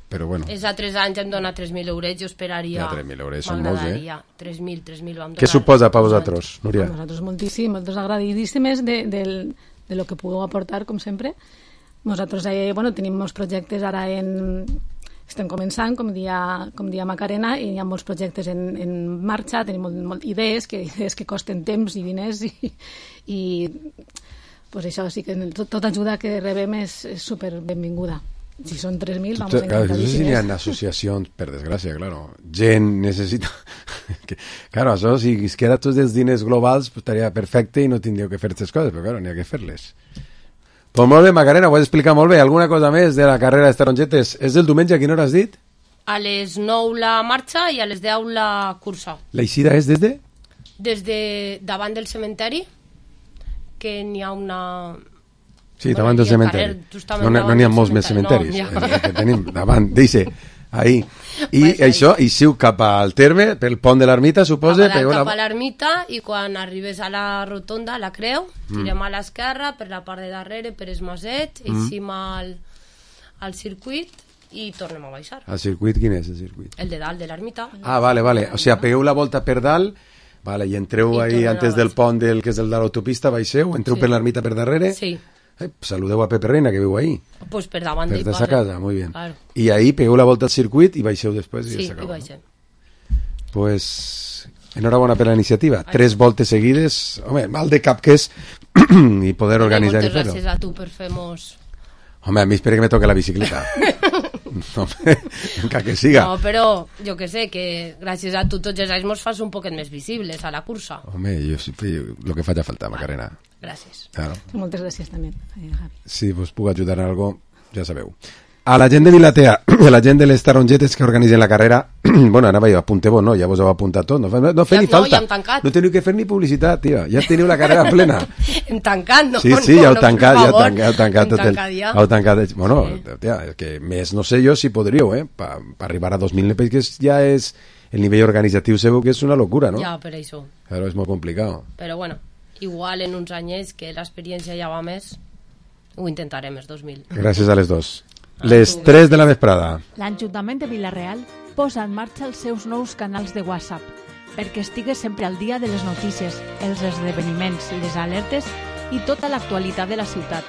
Però bueno. És a tres anys em dona tres mil euros, jo esperaria... Ja, tres mil euros són molts, eh? tres mil, tres mil vam donar. Què suposa per vosaltres, Núria? A nosaltres moltíssim, nosaltres agradidíssimes de, de, de lo que pugueu aportar, com sempre. Nosaltres eh, bueno, tenim molts projectes ara en... Estem començant, com dia, com dia Macarena, i hi ha molts projectes en, en marxa, tenim molt, molt idees, que, idees que costen temps i diners, i, i pues això sí que tot, tota ajuda que rebem és, és super benvinguda. Si són tres mil, vamos a claro, intentar. No sé si hi ha associacions, per desgràcia, claro. Gent necessita... que, claro, això, si es queda tots els diners globals, pues, estaria perfecte i no tindríeu que fer aquestes coses, però claro, n'hi ha que fer-les. Pues molt bé, Macarena, ho has explicat molt bé. Alguna cosa més de la carrera de tarongetes? És del diumenge, a quina hora has dit? A les nou la marxa i a les deu la cursa. L'eixida és des de? Des de davant del cementeri, que n'hi ha una... Sí, Bueno, davant del i el cementeri. carrer, justament No n'hi davant no n'hi ha del molts més cementeri. cementaris. No, el que tenim davant, deixe, ahí. I Pues això, i siu cap al terme, pel pont de l'ermita, suposa? Cap, a la, una... cap a l'ermita i quan arribes a la rotonda, a la creu, tirem Mm. a l'esquerra per la part de darrere, per es Maset, Mm. eixim al, al circuit i tornem a baixar. El circuit, quin és el circuit? El de dalt de l'ermita. Ah, vale, vale. O sigui, pegueu la volta per dalt, vale, i entreu I ahí tornen a antes del pont del, que és el de l'autopista, baixeu, entreu Sí. per l'ermita per darrere. Sí. Eh, saludeu a Pepe Reina, que viu ahí. Pues per davant Per del de sa casa, muy bien. Claro. I ahí pegueu la volta al circuit i baixeu després i Sí, ja i s'acaba. baixem. Pues enhorabona per la iniciativa. Tres voltes seguides, home, mal de cap que és i poder organitzar i Moltes fer-ho. gràcies a tu per fer-nos... Home, a mi espera que me toque la bicicleta. No, encara que siga. No, però jo que sé, que gràcies a tu tots els anys mos fas un poquet més visibles a la cursa. Home, jo, jo, lo que faig a faltar, Macarena. Gràcies. Claro. Moltes gràcies també, eh, Javi. Si vos puc ajudar en algo, ja sabeu. A la gent de Vilatea, a la gent de les tarongetes que organitzen la carrera, bueno, anava jo, apunteu-vos, no? Ja vos heu apuntat tot, no, no, no fer Ja, ni no, falta. ja hem tancat. No teniu que fer ni publicitat, tia. Ja teniu la carrera plena. Hem tancat, no? Sí, sí, no, ja heu no, tancat, per ja heu favor. tancat, heu tancat Hem tot el... tancat ja. Heu tancat, bueno, tia, és que més no sé jo si podríeu, eh? Per pa arribar a dos mil, perquè ja és el nivell organitzatiu seu que és una locura, no? Ja, per això. Claro, és molt complicat. Però bueno, igual en uns anyets que l'experiència ja va més, ho intentarem els dos mil. Gràcies a les dos. Les tres de la vesprada. L'Ajuntament de Vila-real posa en marxa els seus nous canals de WhatsApp perquè estigues sempre al dia de les notícies, els esdeveniments, les alertes i tota l'actualitat de la ciutat.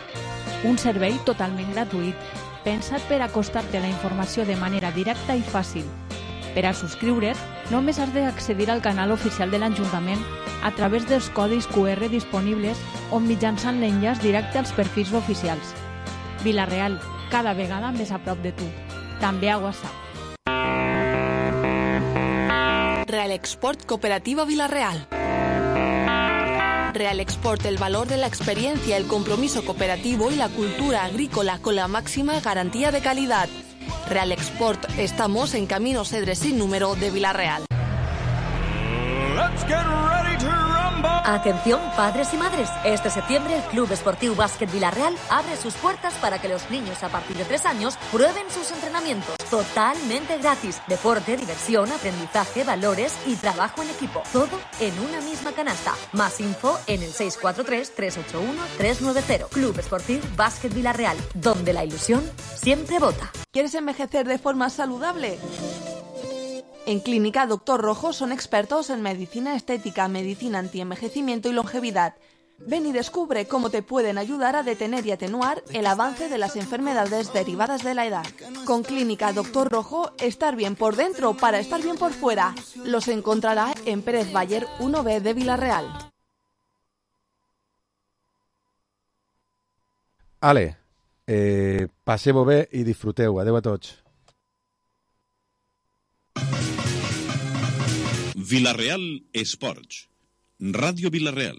Un servei totalment gratuït, pensat per acostar-te a la informació de manera directa i fàcil. Per a subscriure't, només has d'accedir al canal oficial de l'Ajuntament a través dels codis Q R disponibles o mitjançant l'enllaç directe als perfils oficials. Vila-real, cada vegada més a prop de tu. També a WhatsApp. Real Export Cooperativa Villarreal. Real Export, el valor de la experiencia, el compromiso cooperativo y la cultura agrícola con la máxima garantía de calidad. Real Export, estamos en Camino Cedres sin número de Villarreal. Atención padres y madres, este septiembre el Club Esportiu Bàsquet Vila-real abre sus puertas para que los niños a partir de tres años prueben sus entrenamientos totalmente gratis. Deporte, diversión, aprendizaje, valores y trabajo en equipo, todo en una misma canasta. Más info en el seis cuatro tres, tres ocho uno, tres nueve cero. Club Esportiu Bàsquet Vila-real, donde la ilusión siempre vota. ¿Quieres envejecer de forma saludable? En Clínica Doctor Rojo son expertos en medicina estética, medicina antienvejecimiento y longevidad. Ven y descubre cómo te pueden ayudar a detener y atenuar el avance de las enfermedades derivadas de la edad. Con Clínica Doctor Rojo, estar bien por dentro para estar bien por fuera. Los encontrará en Pérez Bayer uno B de Vila-real. Ale, eh, passeu-ho bé i disfruteu. Adeu a tots. Vila-real Esports. Ràdio Vila-real.